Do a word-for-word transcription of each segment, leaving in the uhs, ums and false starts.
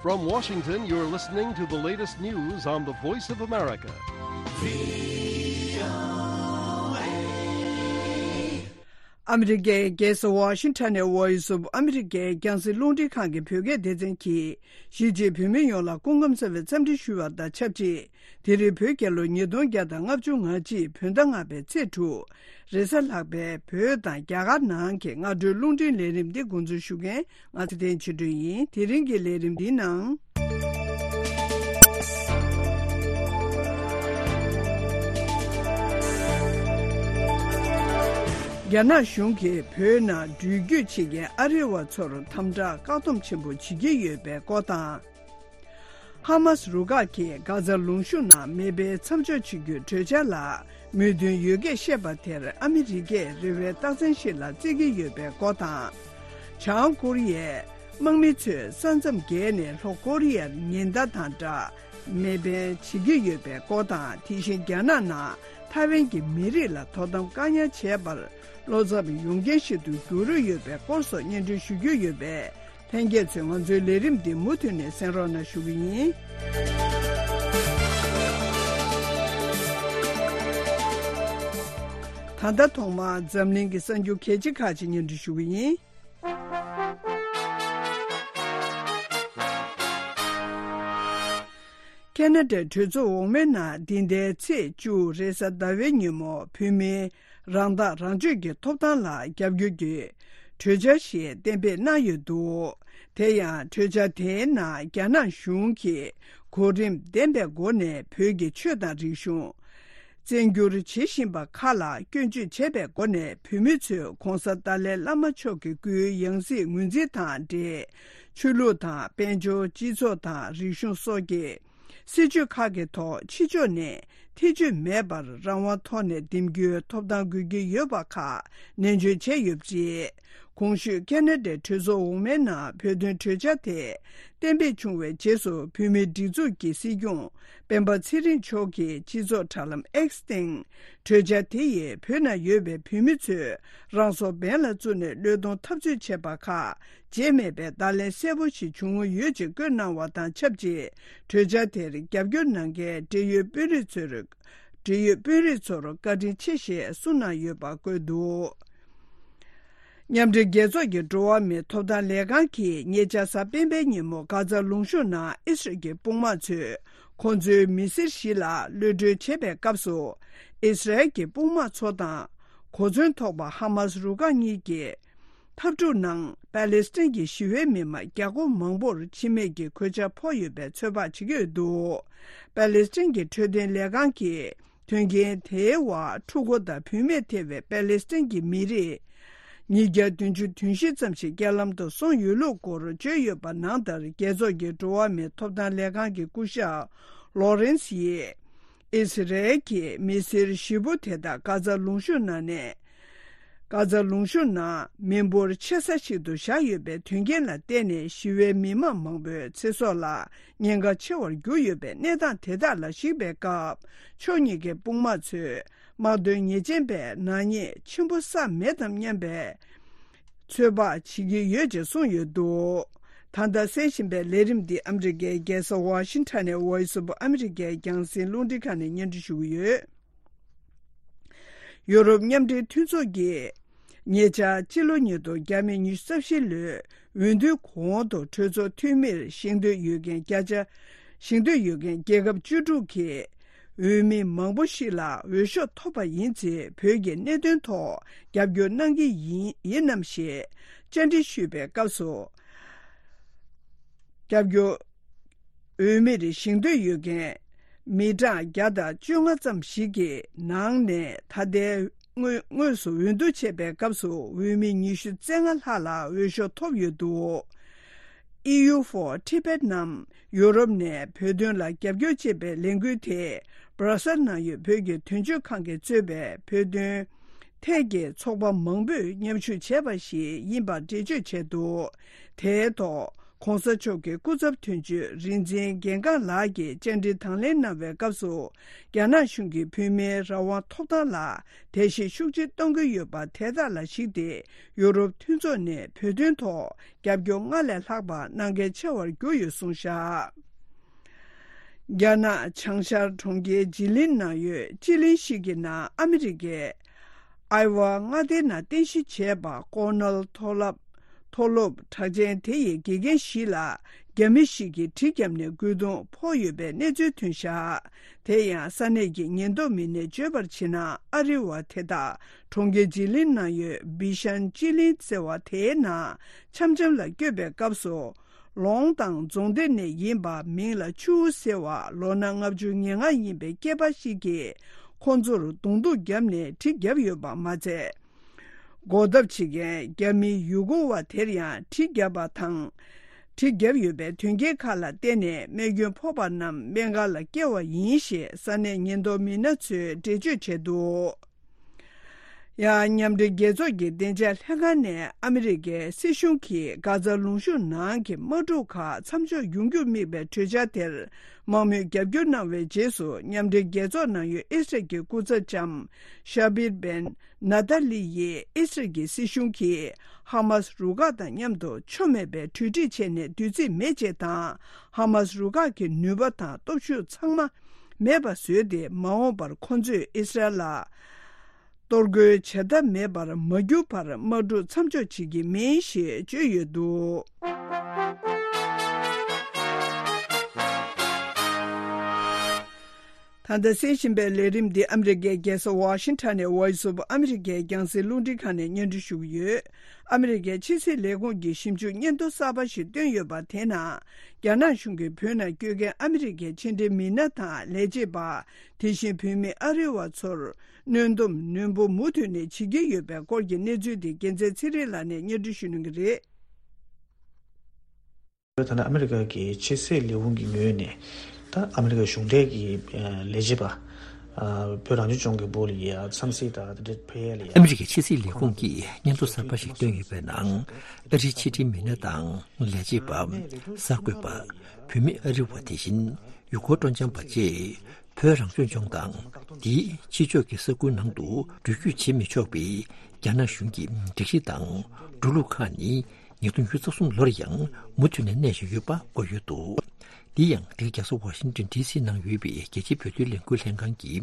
From Washington, you're listening to the latest news on the Voice of America. ཨ་མི་རི་ཀའི་རྒྱལ་ས་ཝ་ཤིང་ཊོན་ནས་Voice of America རྒྱང་སྲིང་རླུང་འཕྲིན་ཁང་གི་བོད་སྐད་སྡེ་ཚན་གྱིས་གཞིས་བྱེས་བོད་མི་ཡོངས་ལ་སྐུ་ཁམས་བཟང་བའི་འཚམས་འདྲི་ཞུ་བ་དང་ཆབས་ཅིག་དེ་རིང་བོད་རྒྱལ་ལོ་ཉིས་སྟོང་བརྒྱ་དང་ལྔ་བཅུ་ང་གཅིག་བོད་ཟླ་ལྔ་པའི་ཚེས་དྲུག་རེས་གཟའ་ལྷག་པའི་བོད་དང་རྒྱ་གར་ནང་གི་སྔ་དྲོའི་རླུང་འཕྲིན་ལས་རིམ་འདི་འགོ་འཛུགས་ཞུ་མཁན་ང་ཚེ་བརྟན་ཆོས་སྒྲོན་ཡིན། དེ་རིང་གི་ལས་རིམ་འདིའི་ནང་། རྒྱ་ནག་གཞུང་གིས་བོད་ནང་འགྲུལ་སྐྱོད་བྱེད་མཁན་ཨ་རི་བ་ཚོར་དམ་དྲག་བཀག་སྡོམ་ཆེན་པོ་བྱེད་ཀྱི་ཡོད་པའི་སྐོར་དང་། ཧ་མཱ་སི་རུ་ཁག་གིས་གྷ་ཛ་ལུང་གཤོང་ནང་མེ་འཕེན་མཚམས་འཇོག་བྱེད་རྒྱུའི་གྲོས་འཆར་ལ་མོས་མཐུན་ཡོད་སྐད་བཤད་པ་དེར་ཨ་མི་རི་ཀས་རེ་བའི་རྟགས་མཚན་ཞིག་ལ་བརྩི་གི་ཡོད་པའི་སྐོར་དང་། བྱང་ཀོ་རི་ཡའི་དམག་མི་ཚོས་ས་མཚམས་བརྒལ་ནས་ལྷོ་ཀོ་རི་ཡར་ཉེན་བརྡ་དང་སྦྲགས་མེ་འཕེན་བྱེད་ཀྱི་ཡོད་པའི་སྐོར་དང་། དེ་བཞིན་རྒྱ་ནག་ནང་ཐའེ་ཝན་གྱི་མི་རིགས་ལ་དོ་དམ་བཀག་ཉར་བྱས་པར་བློ་འཚབ་ཡོང་རྐྱེན་ཞིག་ཏུ་འགྱུར་ཡོད་པའི་སྐོར་སོགས་སྙན་སྒྲོན་ཞུ་རྒྱུ་ཡོད་པས། ལྷན་རྒྱས་ཚོས་ང་ཚོའི་ལས་རིམ་འདི་མུ་མཐུད་ནས་གསན་རོགས་གནང་ཞུ་གི་ཡིན། ད་ལྟ་ཐོག་མར་འཛམ་གླིང་གི་གསར་འགྱུར་གལ་ཆེ་ཁག་ཅིག་སྙན་སྒྲོན་ཞུ་གི་ཡིན། ཁེ་ན་ཌའི་གྲོས་ཚོགས་འོག་མའི་ནང་འདི་ཟླའི་ཚེས་བཅུ་རེས་གཟའ་ཟླ་བའི་ཉིན་མོ་བོད་མིའི་རང་ཐག་རང་གཅོད་ཀྱི་ཐོབ་ཐང་ལ་རྒྱབ་སྐྱོར་གྱི་གྲོས་འཆར་ཞིག་གཏན་འབེབས་གནང་ཡོད་འདུག་དེ་ཡང་གྲོས་འཆར་དེའི་ནང་རྒྱ་ནག་གཞུང་གིས་གོ་རིམ་ལྡན་པའི་སྒོ་ནས་བོད་ཀྱི་ཆོས་དང་རིག་གཞུང་། བཙན་བསྒྱུར་བྱེད་བཞིན་པ་ཁག་ལ་སྐྱོན་བརྗོད་བྱས་པའི་སྒོ་ནས་བོད་མི་ཚོས་༧གོང་ས་ཏཱ་ལའི་བླ་མ་མཆོག་གི་སྐུའི་ཡང་སྲིད་ངོས་འཛིན་དང་འབྲེལ་ཆོས་ལུགས་དང་དཔལ་འབྱོར་སྤྱི་ཚོགས་དང་རིག་གཞུང་སོགས་ཀྱི་སྲིད་བྱུས་ཁག་གི་ཐོག་ཕྱི་ཕྱོགས་ནས་ཐེ་བྱུས་མེད་པར་རང་དབང་ཐོག་ནས་འདེམས་རྒྱུའི་ཐོབ་ཐང་དགོས་ཀྱི་ཡོད་པ་ཁག་ནན་བརྗོད་བྱས་ཡོད་པ་རེད། གོང་ཞུས་ཁེ་ན་ཌའི་གྲོས་ཚོགས་འོག་མའི་ནང་བོད་དོན་གྲོས་འཆར་དེ་གཏན་འབེབས་བྱུང་བའི་རྗེས་སུ་བོད་མིའི་སྒྲིག་འཛུགས་ཀྱི་སྲིད་སྐྱོང་སྤེན་པ་ཚེ་རིང་མཆོག་གིས་སྤྱི་ཚོགས་དྲ་ལམ་X་སྟེང་གྲོས་འཆར་དེ་ཡིས་བོད་ནང་ཡོད་པའི་བོད་མི་ཚོས་རང་སྲོག་འབེན་ལ་བཙུགས་ནས་བློས་གཏོང་འཐབ་རྩོད་བྱས་པ་ཁག་བརྗེད་མེད་པའི་བརྡ་ལན་གསལ་པོ་ཞིག་བྱུང་ཡོད་ཅེས་བཀོད་གནང་བ་དང་ཆབས་ཅིག་གྲོས་འཆར་དེར་རྒྱབ་སྐྱོར་གནང་མཁན་འབྲེལ་ཡོད་དཔོན་རིགས་ཚོར་འབྲེལ་ཡོད་དཔོན་རིགས་ཚོར་བཀའ་དྲིན་ཆེ་ཞེས་གསུངས་གནང་ཡོད་པ་བཀོད་འདུག་མཉམ་འབྲེལ་རྒྱལ་ཚོགས་ཀྱི་འགྲོ་བ་མིའི་ཐོབ་ཐང་ལས་ཁང་གིས་ཉེ་ཆར་གཟའ་སྤེན་པའི་ཉིན་མོ་གྷ་ཛ་ལུང་གཤོང་ནང་ཨི་སི་རལ་གྱི་དཔུང་དམག་ཚོས་ཁོང་ཚོའི་མི་སེར་བཞི་ལ་གློད་གྲོལ་བྱེད་པའི་སྐབས་སུ། ཨི་སི་རལ་གྱི་དཔུང་དམག་ཚོ་དང་གོ་མཚོན་ཐོགས་པ་ཧ་མཱ་སི་རུ་ཁག་གཉིས་ཀྱིས། འཐབ་འཁྲུག་ནང་པ་ལེ་སི་ཐན་གྱི་ཞི་བའི་མི་མང་བརྒྱ་སྐོར་མང་པོར་འཆི་རྨས་ཀྱི་གོད་ཆག་ཕོག་ཡོད་པའི་ཚོད་དཔག་བྱེད་ཀྱི་ཡོད་འདུག་པ་ལེ་སི་ཐན་གྱི་འཕྲོད་བསྟེན་ལས་ཁང་གིས་དོན་རྐྱེན་དེའི་འོག་ཕྲུ་གུ་དང་བུད་མེད་ཐེ་བའི་པ་ལེ་སི་ཐན་གྱི་མི་རིགས་ཉིས་བརྒྱ་བདུན་ཅུ་དོན་བཞི་ཙམ་ཞིག་རྐྱེན་ལམ་དུ་སོང་ཡོད་ལུགས་སྐོར་བརྗོད་ཡོད་པ་ནང་ལྟར། རྒྱལ་ཚོགས་ཀྱི་འགྲོ་བ་མིའི་ཐོབ་ཐང་ལས་ཁང་གི་སྐུ་ཞབས་ལོ་རེན་སི་ཡིས། ཨི་སི་རལ་གྱིས་མི་སེར་བཞི་པོ་དེ་དག་གྷ་ཛ་ལུང་གཤོང་ནང་ནས། གྷ་ཛ་ལུང་གཤོང་ནང་མི་འབོར་ཆེ་ས་ཞིག་ཏུ་བཞག་ཡོད་པའི་དོན་རྐྱེན་ལ་བརྟེན་ནས། ཞི་བའི་མི་མང་མང་པོའི་ཚེ་སྲོག་ལ་ཉེན་ཁ་ཆེ་བར་གྱུར་ཡོད་པའི་གནས་སྟངས་དེ་དག་ལ་གཞིགས་པའི་སྐབས། ཕྱོགས་གཉིས་ཀའི་དཔུང་དམག་ཚོས་དམག་དོན་ཉེས་ཅན་པའི་ནག་ཉེས་ཆེན་པོ་བསགས་མེད་དམ་སྙམ་པའི་ཚོད་དཔག་བྱེད་ཀྱི་ཡོད་ཅེས་གསུངས་ཡོད་འདུག་ད་ལྟ་གསན་བཞིན་པའི་ལས་རིམ་འདི་ཨ་མི་རི་ཀའི་རྒྱལ་ས་ཝ་ཤིང་ཊོན་ནས་Voice of America རྒྱང་སྲིང་རླུང་འཕྲིན་ཁང་ནས་སྙན་སྒྲོན་ཞུ་གི་ཡོད། ཡོ་རོབ་མཉམ་འབྲེལ་མཐུན་ཚོགས་ཀྱིས་ཉེ་ཆར་སྤྱི་ལོ་ཉིས་སྟོང་ཉི་ཤུ་རྩ་བཞི་ལོའི་འོས་བསྡུའི་གོང་དུ་གྲོས་ཚོགས་འཐུས་མིར་བཞེངས་འདོད་ཡོད་མཁན་བརྒྱ་ཆ་བཞེངས་འདོད་ཡོད་མཁན་རྒྱལ་ཁབ་བཅུ་དྲུག་གི་འོས་མི་མང་པོ་ཞིག་ལ་འོས་ཤོག་ཐོབ་པ་ཡིན་ཚེ། བོད་ཀྱི་གནད་དོན་ཐོག་རྒྱབ་སྐྱོར་གནང་གི་ཡིན་ཡིན་ནམ་ཞེས་བཅར་འདྲི་ཞུས་པའི་སྐབས་སུ། རྒྱབ་སྐྱོར་འོས་མིར་བཞེངས་འདོད་ཡོད་མཁན་མི་གྲངས་བརྒྱ་དང་བཅོ་ལྔ་ཙམ་ཞིག་གི་ནང་ནས་ད་ལྟའི་དངོས་དངོས་སུ་འོས་བསྡུ་བྱས་པའི་སྐབས་སུ་འོས་མི་ཉི་ཤུ་རྩ་ལྔ་ལྷག་ལ་འོས་ཤོག་ཐོབ་ཡོད་འདུག་ཨི་ཡུ་ཧྥོ་ཊི་བེཊ་ནམ་ཡོ་རོབ་ནས་བོད་དོན་ལ་རྒྱབ་སྐྱོར་བྱེད་པའི་ལས་འགུལ་དེ་སྦྲ་སལ་ནང་ཡོད་བོད་ཀྱི་དོན་གཅོད་ཁང་གིས་གཙོས་པའི་བོད་དོན་ཐད་ཀྱི་ཚོགས་པ་མང་པོས་མཉམ་ཞུགས་བྱས་པ་ཞིག་ཡིན་པར་འགྲེལ་བརྗོད་བྱས་འདུག་དེའི་ཐོག་ ༧གོང་ས་མཆོག་གི་སྐུ་ཚབ་དོན་གཅོད་རིག་འཛིན་རྒན་གང་ལགས་ཀྱིས་བཅར་འདྲི་དང་ལེན་གནང་བའི་སྐབས་སུ། རྒྱ་ནག་གཞུང་གིས་བོད་མིའི་རང་དབང་ཐོབ་ཐང་ལ་བརྡལ་བཤིག་ཤུགས་ཆེ་གཏོང་གི་ཡོད་པ་དེ་དག་ལ་གཞིགས་ཏེ། ཡུ་རོབ་མཐུན་ཚོགས་ནས་བོད་དོན་ཐོག་རྒྱབ་སྐྱོར་སྔར་ལས་ལྷག་པ་གནང་གལ་ཆེ་བར་གྱུར་ཡོད་གསུངས་བཞག་རྒྱ་ནག་བྱང་ཤར་གྲོང་ཁྱེར་ཇི་ལིན་ནང་ཡོད་སྤྱི་གླིང་ཞིག་གི་ནང་ཨ་མི་རི་ཀའི་ཨའི་ཝ་མངའ་སྡེའི་ནང་རྟེན་གཞི་བྱས་པ་ཀོ་ནལ་མཐོ་སློབ། མཐོ་སློབ་གྲགས་ཅན་དེ་ཡི་དགེ་རྒན་ཞིག་ལ་རྒྱ་མི་ཞིག་གིས་གྲི་བརྒྱབ་ནས་རྒོལ་རྡུང་ཕོག་ཡོད་པའི་གནས་ཚུལ་ཐོན་བཞག་དེ་ཡང་ས་གནས་ཀྱི་ཉེན་རྟོག་མི་སྣས་བརྗོད་པར་བྱས་ན། ཨ་རི་བ་དེ་དག་གྲོང་ཁྱེར་ཇི་ལིན་ནང་ཡོད་བི་ཤན་སྤྱི་གླིང་ཟེར་བ་དེའི་ནང་འཆམ་འཆམ་ལ་བསྐྱོད་པའི་སྐབས་སུ། ལོང་དང་རྫོང་སྡེ་ནས་ཡིན་པ། མིང་ལ་ཆུ་བོ་ཟེར་བ། ལོ་ན་ལྔ་བཅུ་ང་ལྔ་ཡིན་པའི་སྐྱེས་པ་ཞིག་གིས་ཁོང་ཚོར་རྡུང་རྡུང་བརྒྱབ་ནས་གྲི་བརྒྱབ་ཡོད་པ་མ་ཚད། སྒོ་བརྡབ་བྱེད་མཁན་རྒྱ་མི་ཡུ་གུར་བ་དེར་ཡང་གྲི་བརྒྱབ་པ་དང་། གྲི་བརྒྱབ་ཡོད་པའི་དོན་རྐྱེན་ཁག་ལ་བརྟེན་ནས་རྨས་སྐྱོན་ཕོག་པ་རྣམས་སྨན་ཁང་ལ་བསྐྱལ་བ་ཡིན་ཞེས་ས་གནས་ཉེན་རྟོག་མི་སྣ་ཚོས་འགྲེལ་བརྗོད་བྱས་འདུག་ཡང་མཉམ་འབྲེལ་རྒྱལ་ཚོགས་ཀྱི་བདེ་འཇགས་ལྷན་ཁང་ནས་ཨ་མི་རི་ཀའི་སྲིད་གཞུང་གིས་གྷ་ཛ་ལུང་གཤོང་ནང་གི་དམག་འཁྲུག་ཁག་མཚམས་འཇོག་ཡོང་རྒྱུར་དམིགས་པའི་གྲོས་འཆར་དེར་མང་མོས་རྒྱབ་སྐྱོར་གནང་བའི་རྗེས་སུ། མཉམ་འབྲེལ་རྒྱལ་ཚོགས་ནང་ཡོད་ཨི་སི་རལ་གྱི་སྐུ་ཚབ་ལྕམ་ཤ་བིར་བན་ནཱ་ཏཱ་ལི་ཡིས་ཨི་སི་རལ་གྱི་སྲིད་གཞུང་གིས་ཧ་མཱ་སི་རུ་ཁག་དང་མཉམ་དུ་ཆོ་མེད་པའི་གྲོས་འགྲིག་བྱས་ནས་བདུད་རྩི་མེད་ཅེས་དང་། ཧ་མཱ་སི་རུ་ཁག་གི་ནུས་པ་དང་སྟོབས་ཤུགས་ཚང་མ་མེད་པ་བཟོས་ཏེ། མ་འོངས་པར་ཁོ་ཚོས་ཨི་སི་རལ་ལ་གཏོར་རྒོལ་བྱ་ཐབས་མེད་པར་མ་གྱུར་བར་དམག་འཁྲུག་མཚམས་འཇོག་བྱེད་ཀྱི་མིན་ཞེས་བརྗོད་ཡོད་འདུག་ད་ལྟ་གསན་བཞིན་པའི་ལས་རིམ་འདི་ཨ་མི་རི་ཀའི་རྒྱལ་ས་ཝ་ཤིང་ཊོན་ནས་Voice of America་རྒྱང་སྲིང་རླུང་འཕྲིན་ཁང་ནས་སྙན་སྒྲོན་ཞུ་གི་ཡོད། ཨ་མི་རི་ཀའི་ཕྱི་སྲིད་ལས་ཁུངས་ཀྱིས་ཞིབ་འཇུག་སྙན་ཐོ་གསར་པ་ཞིག་བཏོན་ཡོད་པ་དེའི་ནང་། རྒྱ་ནག་གཞུང་གིས་བོད་ནང་བསྐྱོད་མཁན་ཨ་མི་རི་ཀའི་ཕྱི་འབྲེལ་མི་སྣ་དང་ལས་བྱེད་པ། དེ་བཞིན་བོད་མི་ཨ་རི་བ་ཚོར་གནོན་སྡོམ་ནན་པོ་མུ་མཐུད་ནས་བྱེད་ཀྱི་ཡོད་པའི་སྐོར་གྱི་གནས་ཚུལ་དེ་རྒྱལ་མཚན་ཚེ་རིང་ལགས་ནས་སྙན་སྒྲོན་ཞུ་གནང་གི་རེད། ད་ནི་ཨ་མི་རི་ཀ་གི་ཕྱི་སྲིད་ལས་ཁུངས་ཀྱི་ངོས་ནས་ད་ཨ་མི་རི་ཀ་གཞུང་འབྲེལ་གྱི་ལས་བྱེད་པ། བོད་རང་སྐྱོང་ལྗོངས་ཀྱི་སྦུག་ལ་ཡ་འཚམས་གཟིགས་དང་དེ་འདྲ་ཕེབས་ཡ་ལ་ཡ། ཨ་མི་རི་ཀའི་ཕྱི་སྲིད་ལས་ཁུངས་ཀྱིས་སྙན་ཐོ་གསར་པ་ཞིག་བཏོན་ཡོད་པའི་ནང་། ཨ་རིའི་ཕྱི་འབྲེལ་མི་སྣ་དང་ལས་བྱེད་པ། གསར་འགོད་པ། བོད་མི་ཨ་རི་བ། དེ་བཞིན་ཡུལ་སྐོར་སྤྲོ་འཆམ་པ་བཅས། བོད་རང་སྐྱོང་ལྗོངས་དང་དེའི་ཕྱི་ཕྱོགས་ཀྱི་ས་ཁུལ་ནང་དུ་འགྲུལ་སྐྱོད་བྱེད་མི་ཆོག་པའི་རྒྱ་ནག་གཞུང་གི་སྒྲིག་གཞི་དང་འགྲོ་ལུགས་ཁག་ནི། ཉིས་སྟོང་ཉི་ཤུ་རྩ་གསུམ་ལོར་ཡང་མུ་མཐུད་ནས་གནས་བཞིན་ཡོད་པ་བཀོད་ཡོད་འདུག་འདི་ཡང་འདིར་རྒྱལ་ས་ཝ་ཤིང་ཏོན་ཌི་སི་ནང་ཡོད་པའི་རྒྱལ་སྤྱིའི་བོད་དོན་ལས་འགུལ་ལྷན་ཁང་གི་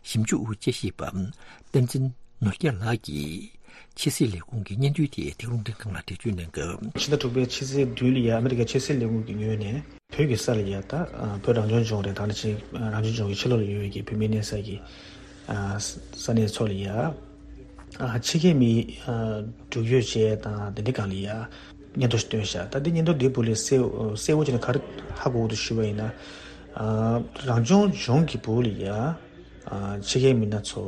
ཞིབ་འཇུག་དཔྱད་ཞིབ་པ་བསྟན་འཛིན་ནོར་རྒྱས་ལགས་ཀྱིས། ཕྱི་སྲིད་ལས་ཁུངས་ཀྱི་སྙན་ཐོའི་ཐད་དེ་རླུང་འཕྲིན་ཁང་ལ་འགྲེལ་བརྗོད་གནང་སྐབས། ཕྱི་ཟླ་དྲུག་པའི་ཕྱི་ཚེས་བདུན་ལ་ཡ་ཨ་མི་རི་ཀའི་ཕྱི་སྲིད་ལས་ཁུངས་ཀྱི་ངོས་ནས། བོད་ཀྱི་ས་ལ་ཡ་ད་བོད་རང་སྐྱོང་ལྗོངས་རེད། ད་ནི་ཅིག་རང་སྐྱོང་ལྗོངས་ཀྱི་ཕྱི་ལོགས་ལ་ཡོད་པའི་བོད་མི་གནས་ས་ཀྱི་ས་གནས་ཚོ་ལ་ཡ། ཕྱི་རྒྱལ་མི་འགྲུལ་སྐྱོད་བྱས་དང་དེ་འདྲའི་སྒང་ལ་ཡ་སྙན་ཐོ་ཞིག་བཏོན་ཤག་ད་འདི་སྙན་ཐོ་འདིའི་སྦུག་ལས་གསལ་གསལ་བོ་བྱས་ནས་ག་རེ་ཧ་གོ་གི་འདུག་ཞུས་པ་ཡིན་ན། རང་སྐྱོང་ལྗོངས་ཀྱི་སྦུག་ལ་ཡ། ཕྱི་རྒྱལ་མི་སྣ་ཚོ་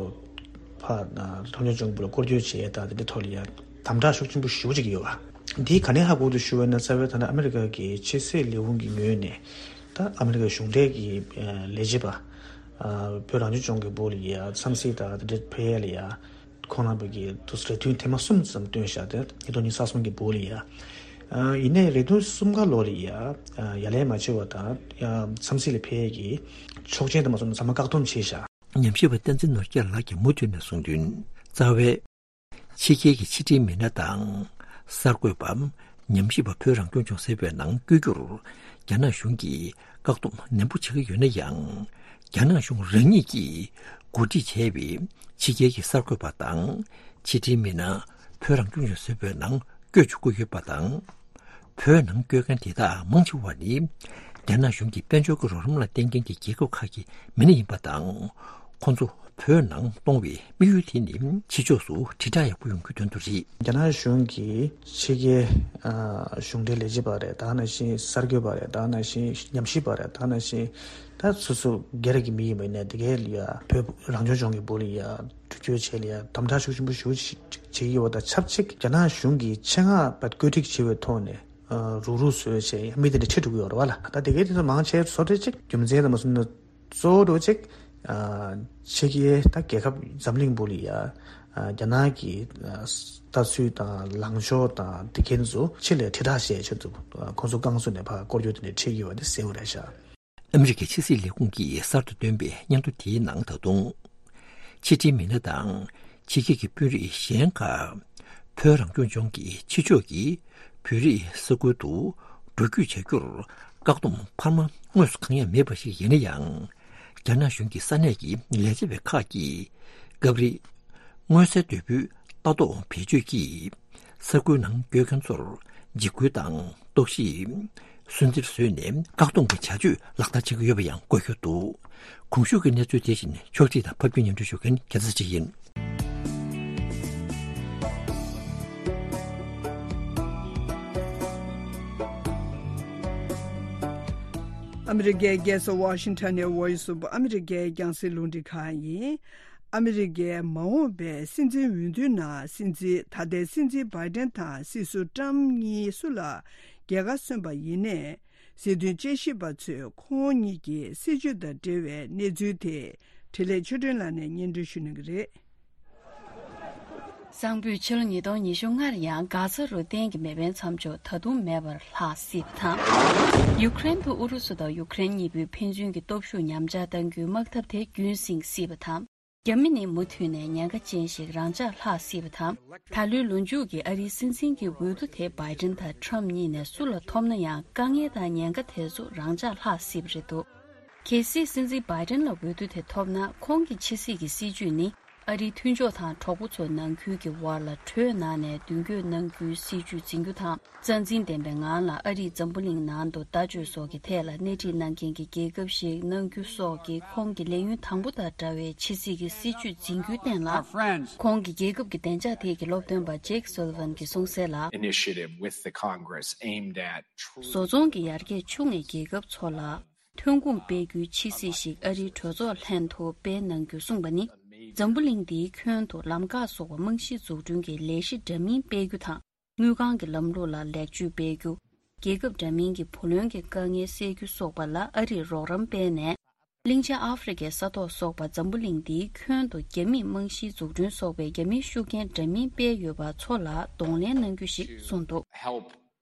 ཕར་རང་སྐྱོང་ལྗོངས་སྦུག་ལ་སྐོར་སྐྱོད་བྱས་དང་དེ་འདྲའི་ཐོག་ལ་ཡ་དམ་དྲག་ཤུགས་ཆེན་པོ་ཞེ་པོ་ཅིག་ཡོད་པ། འདིས་ག་ནས་ཧ་གོ་འདུག་ཞུ་བ་ཡིན་ན། རྩ་བའི་ཐོག་ནས་ཨ་མི་རི་ཀ་གི་ཕྱི་སྲིད་ལས་ཁུངས་ཀྱི་ངོས་ནས་ད་ཨ་མི་རི་ཀ་གཞུང་འབྲེལ་གྱི་ལས་བྱེད་པ་བོད་རང་སྐྱོང་ལྗོངས་ཀྱི་སྦུག་ལ་ཡ་འཚམས་གཟིགས་དང་དེ་འདྲའི་ཕེབས་ཡ་ལ་ཡ། ཁོང་རྣམ་པ་གིས་དུས་རེ་ཐུང་ཐེངས་མ་གསུམ་ཙམ་བཏོན་བཞག་སྟེ་ཉིས་སྟོང་ཉི་ཤུ་རྩ་གསུམ་གྱི་སྦུག་ལ་ཡ། ཡིན་ནའི་རེ་ཐུང་གསུམ་ཀ་ལོ་ལ་ཡ། ཡ་ལན་མ་བྱས་པ་དང་ཡ་འཚམས་གཟིགས་ལ་ཕེབས་ཡས་ཀྱི་ཆོག་མཆན་དེ་མ་སོང་ན་ཚང་མ་བཀག་སྡོམ་བྱས་བཞག་ཉམས་ཞིབ་པ་བསྟན་འཛིན་ནོར་རྒྱས་ལགས་ཀྱིས་མུ་མཐུད་ནས་གསུངས་དོན། རྩ་བའི་ཕྱི་རྒྱལ་གྱི་ཕྱི་འབྲེལ་མི་སྣ་དང་། གསར་འགོད་པ། ཉམས་ཞིབ་པ། བོད་རང་སྐྱོང་ལྗོངས་ཟེར་བའི་ནང་བསྐྱོད་རྒྱུར། རྒྱ་ནག་གཞུང་གིས་བཀག་སྡོམ་ནན་པོ་བྱེད་ཀྱི་ཡོད་ན་ཡང་། རྒྱ་ནག་གཞུང་རང་ཉིད་ཀྱིས་གོ་སྒྲིག་བྱས་པའི་ཕྱི་རྒྱལ་གྱི་གསར་འགོད་པ་དང་། ཕྱི་འབྲེལ་མི་སྣ། བོད་རང་སྐྱོང་ལྗོངས་ཟེར་བའི་ནང་བསྐྱོད་ཆོག་གི་ཡོད་པ་དང་། བོད་ནང་བསྐྱོད་མཁན་དེ་དག་མང་ཆེ་བ་ནི། རྒྱ་ནག་གཞུང་གི་དཔལ་འབྱོར་གྱི་རོགས་རམ་ལ་བརྟེན་མཁན་གྱི་རྒྱལ་ཁབ་ཁག་གི་མི་སྣ་ཡིན་པ་དང་། ཁོང་ཚོ་བོད་ནང་གཏོང་བའི་དམིགས་ཡུལ་དེ་ནི་ཕྱི་ཕྱོགས་སུ་དྲིལ་བསྒྲགས་ཡག་པོ་ཡོང་རྒྱུའི་དོན་དུ་རེད། རྒྱ་ནག་གཞུང་གིས་ཕྱི་རྒྱལ་གཞུང་འབྲེལ་ལས་བྱེད་པ་རེད། ད་ག་ནང་བཞིན་གསར་འགོད་པ་རེད། ད་ག་ནང་བཞིན་ཉམས་ཞིབ་པ་རེད། ད་ག་ནང་བཞིན་ད་སོ་སོ་སྒེར་གྱི་མི་ཡིན་པ་ཡིན་ནའི་དེ་གའི་ལ་ཡ་བོད་རང་སྐྱོང་ལྗོངས་ཀྱི་སྦུག་ལ་ཡ་འགྲུལ་སྐྱོད་བྱས་ལ་ཡ་དམ་དྲག་ཤུགས་ཆེན་པོ་ཞེ་པོ་ཞིག་བྱེད་ཀྱི་ཡོད་པ་དང་ཆབས་ཅིག་རྒྱ་ནག་གཞུང་གིས་ཆེད་མངགས་པ་བཀོད་སྒྲིག་བྱས་པའི་ཐོག་ནས། རུག་རུག་བཟོས་བྱས་མི་དེ་འདྲ་ཁྲིད་འགྲོ་གི་ཡོད་རེད་བ་ལ། ད་དེ་གའི་དེ་ཚོ་མང་ཆེ་བཟོ་འདྲ་ཅིག་རྒྱུ་མཚན་དང་མ་སོང་ན་གཙོ་བོ་འདྲ་ཅིག་ཕྱི་རྒྱལ་ད་རྒྱལ་ཁབ་འཛམ་གླིང་སྦུག་ལ་ཡ་ རྒྱ་ནག་གི་ལྟ་ཚུལ་དང་ལངས་ཕྱོགས་དང་དེ་ཁྱེད་ཚོ་ཆེད་ལས་དྲིལ་བསྒྲགས་བྱས་ཆེད་དུ་ཁོང་ཚོ་རྐང་བཙུགས་ནས་ཕར་སྐོར་སྐྱོད་དེ་འདྲ་ཁྲིད་ཀྱི་ཡོད་པ་དེ་གསལ་པོ་རེད་ཤག་ཨ་མི་རི་ཀའི་ཕྱི་སྲིད་ལས་ཁུངས་ཀྱིས་གསར་དུ་བཏོན་པའི་སྙན་ཐོ་དེའི་ནང་ད་དུང་། ཕྱི་འབྲེལ་མི་སྣ་དང་ཕྱི་རྒྱལ་གྱི་དཔོན་རིགས་གཞན་ཁག་ཕོ་རང་སྐྱོང་ལྗོངས་ཀྱི་ཕྱི་ཕྱོགས་ཀྱི་བོད་རིགས་ས་ཁུལ་དུ་འགྲོ་སྐྱོད་བྱ་རྒྱུར་བཀག་སྡོམ་འཕར་མ་དངོས་སུ་གང་ཡང་མེད་པ་ཞིག་ཡིན་ན་ཡང་། རྒྱ་ནག་གཞུང་གི་ས་གནས་ཀྱི་ལས་བྱེད་པ་ཁག་གིས་སྐབས་རེ་མངོན་གསལ་དོད་པོའི་ལྟ་རྟོག་བེད་སྤྱོད་ཀྱིས་ས་ཁུལ་ནང་སྐྱོད་མཁན་ཚོར་འཇིགས་སྐུལ་དང་རྟོག་ཞིབ། སུན་གཙེར་བཟོས་ནས་བཀག་སྡོམ་གྱི་བྱ་སྤྱོད་ལག་བསྟར་བྱེད་ཀྱི་ཡོད་པ་ཡང་འགོད་རྒྱུ་འདུག་གོང་ཞུས་ཀྱི་གནས་ཚུལ་དེ་བཞིན་ཕྱོགས་སྒྲིག་དང་ཕབ་སྒྱུར་སྙན་སྒྲོན་ཞུ་མཁན་རྒྱལ་མཚན་ཅིག་ཡིན། ཨ་མི་རི་ཀའི་རྒྱལ་ས་ཝ་ཤིང་ཊོན་ནས་Voice of America རྒྱང་སྲིང་རླུང་འཕྲིན་ཁང་ཡིན། ཨ་མི་རི་ཀའི་མ་འོངས་པའི་སྲིད་འཛིན་འོས་བསྡུའི་ནང་སྲིད་འཛིན་ད་ལྟའི་སྲིད་འཛིན་བྷའི་ཏན་དང་སྲིད་ཟུར་ཏྲམ་གཉིས་སུ་ལ་རྒྱལ་ཁ་སོན་པ་ཡིན་ནའི། སྲིད་དོན་དཔྱད་ཞིབ་པ་ཚོས་ཁོང་གཉིས་ཀྱི་སྲིད་བྱུས་དང་འབྲེལ་བའི་གནས་ཚུལ་དེ་འཕྲིན་ལས་ཆོས་སྒྲོན་ལགས་ནས་སྙན་སྒྲོན་ཞུ་གནང་གི་རེད། གསང་ཕུད་ཕྱི་ལོ་ཉིས་སྟོང་ཉི་ཤུ་ལྔ་ལ་ཡང་གྷ་ཛ་རུ་གཏན་གྱི་མེ་འཕེན་མཚམས་འཇོག་ད་དུང་མེད་པར་ལྷག་སྲིད་པ་དང་། ཡུ་ཀེ་རེན་དུ་ཨུ་རུ་སུ་དང་ཡུ་ཀེ་རེན་གཉིས་པོའི་ཕན་ཚུན་གྱི་སྟོབས་ཤུགས་ཉམས་ཆག་གཏང་རྒྱུའི་དམག་འཐབ་དེ་རྒྱུན་བསྲིངས་སྲིད་པ་དང་། རྒྱ་མི་ནི་མུ་མཐུད་ནས་ཉེན་ཁ་ཅན་ཞིག་རང་འཇགས་ལྷག་སྲིད་པ་དང་། ད་ལོའི་ལོ་མཇུག་གི་ཨ་རིའི་སྲིད་འཛིན་གྱི་འོས་བསྡུ་དེ་བྷའི་ཏན་དང་ཁྲམ་གཉིས་ནས་སུ་ལ་ཐོབ་ན་ཡང་དཀའ་ངལ་དང་ཉེན་ཁ་དེ་ཚོ་རང་འཇགས་ལྷག་སྲིད་པ་རེད་འདུག་གལ་སྲིད་སྲིད་འཛིན་བྷའི་ཏན་ལ་འོས་བསྡུ་དེ་ཐོབ་ན། ཁོང་གི་ཕྱི་སྲིད་ཀྱི་སྲིད་ཇུས་ནི། ཨ་རིའི་མཐུན་ཕྱོགས་དང་གྲོགས་པོ་ཚོ་ནང་ཁུལ་གྱི་དབར་ལ་གྲོས་གནང་ནས་མདུན་སྐྱོད་གནང་རྒྱུའི་སྲིད་ཇུས་འཛིན་རྒྱུ་དང་། རྩ་འཛིན་ལྡན་པའི་ངང་ལ་ཨ་རིས་འཛམ་བུ་གླིང་ནང་དུ་ལྟ་སྤྱོད་སོགས་ཀྱི་ཐད་ལ་སྣེ་ཁྲིད་གནང་མཁན་གྱི་རྒྱལ་ཁབ་ཞིག་གནང་རྒྱུ་སོགས་ཀྱི་ཁོང་གི་ལས་ཡུན་དང་པོ་དང་འདྲ་བའི་ཕྱི་སྲིད་ཀྱི་སྲིད་ཇུས་འཛིན་རྒྱུའི་སྟེང་ལ། ཁོང་གི་རྒྱལ་ཁབ་ཀྱི་བདེ་འཇགས་ཐད་ཀྱི་སློབ་སྟོན་པ་ཇེག་སོ་ལི་ཝན་གྱིས་གསུངས་གསལ་ལ། Initiative with the Congress aimed at truly བཟོ་ཚོང་གི་ཡར་རྒྱས་ཆུང་བའི་རྒྱལ་ཁབ་ཚོ་ལ། ཐོན་ཁུངས་སྤེལ་རྒྱུའི་ཕྱི་སྲིད་ཞིག་ཨ་རིའི་གྲོས་ཚོགས་ལྷན་དུ་སྤེལ་གནང་རྒྱུ་གསུངས་པ་ནི། འཛམ་བུ་གླིང་འདིའི་ཁྱོན་དུ་ལམ་ཁ་སོགས་པ་རྨང་གཞི་འཛུགས་སྐྲུན་གྱི་ལས་གཞི་འདྲ་མིན་སྤེལ་རྒྱུ་དང་། དངུལ་ཁང་གི་ལམ་ལུགས་ལ་ལེགས་བཅོས་སྤེལ་རྒྱུ། རྒྱལ་ཁབ་འདྲ་མིན་གྱི་བུ་ལོན་གྱི་དཀའ་ངལ་སེལ་རྒྱུ་སོགས་པ་ལ་ཨ་རིས་རོགས་རམ་སྤེལ་ནས། གླིང་ཆེན་ཨ་ཧྥེ་རི་ཁའི་ས་ཐོག་སོགས་པ་འཛམ་བུ་གླིང་འདིའི་ཁྱོན་དུ་རྒྱ་མིས་རྨང་གཞིའི་འཛུགས་སྐྲུན་སོགས་པའི་རྒྱ་མིའི་ཤུགས་རྐྱེན་འདྲ་མིན་སྤེལ་ཡོད་པ་ཚོ་ལ་གདོང་ལེན་གནང་རྒྱུ་ཞིག་གསུངས་འདུག Help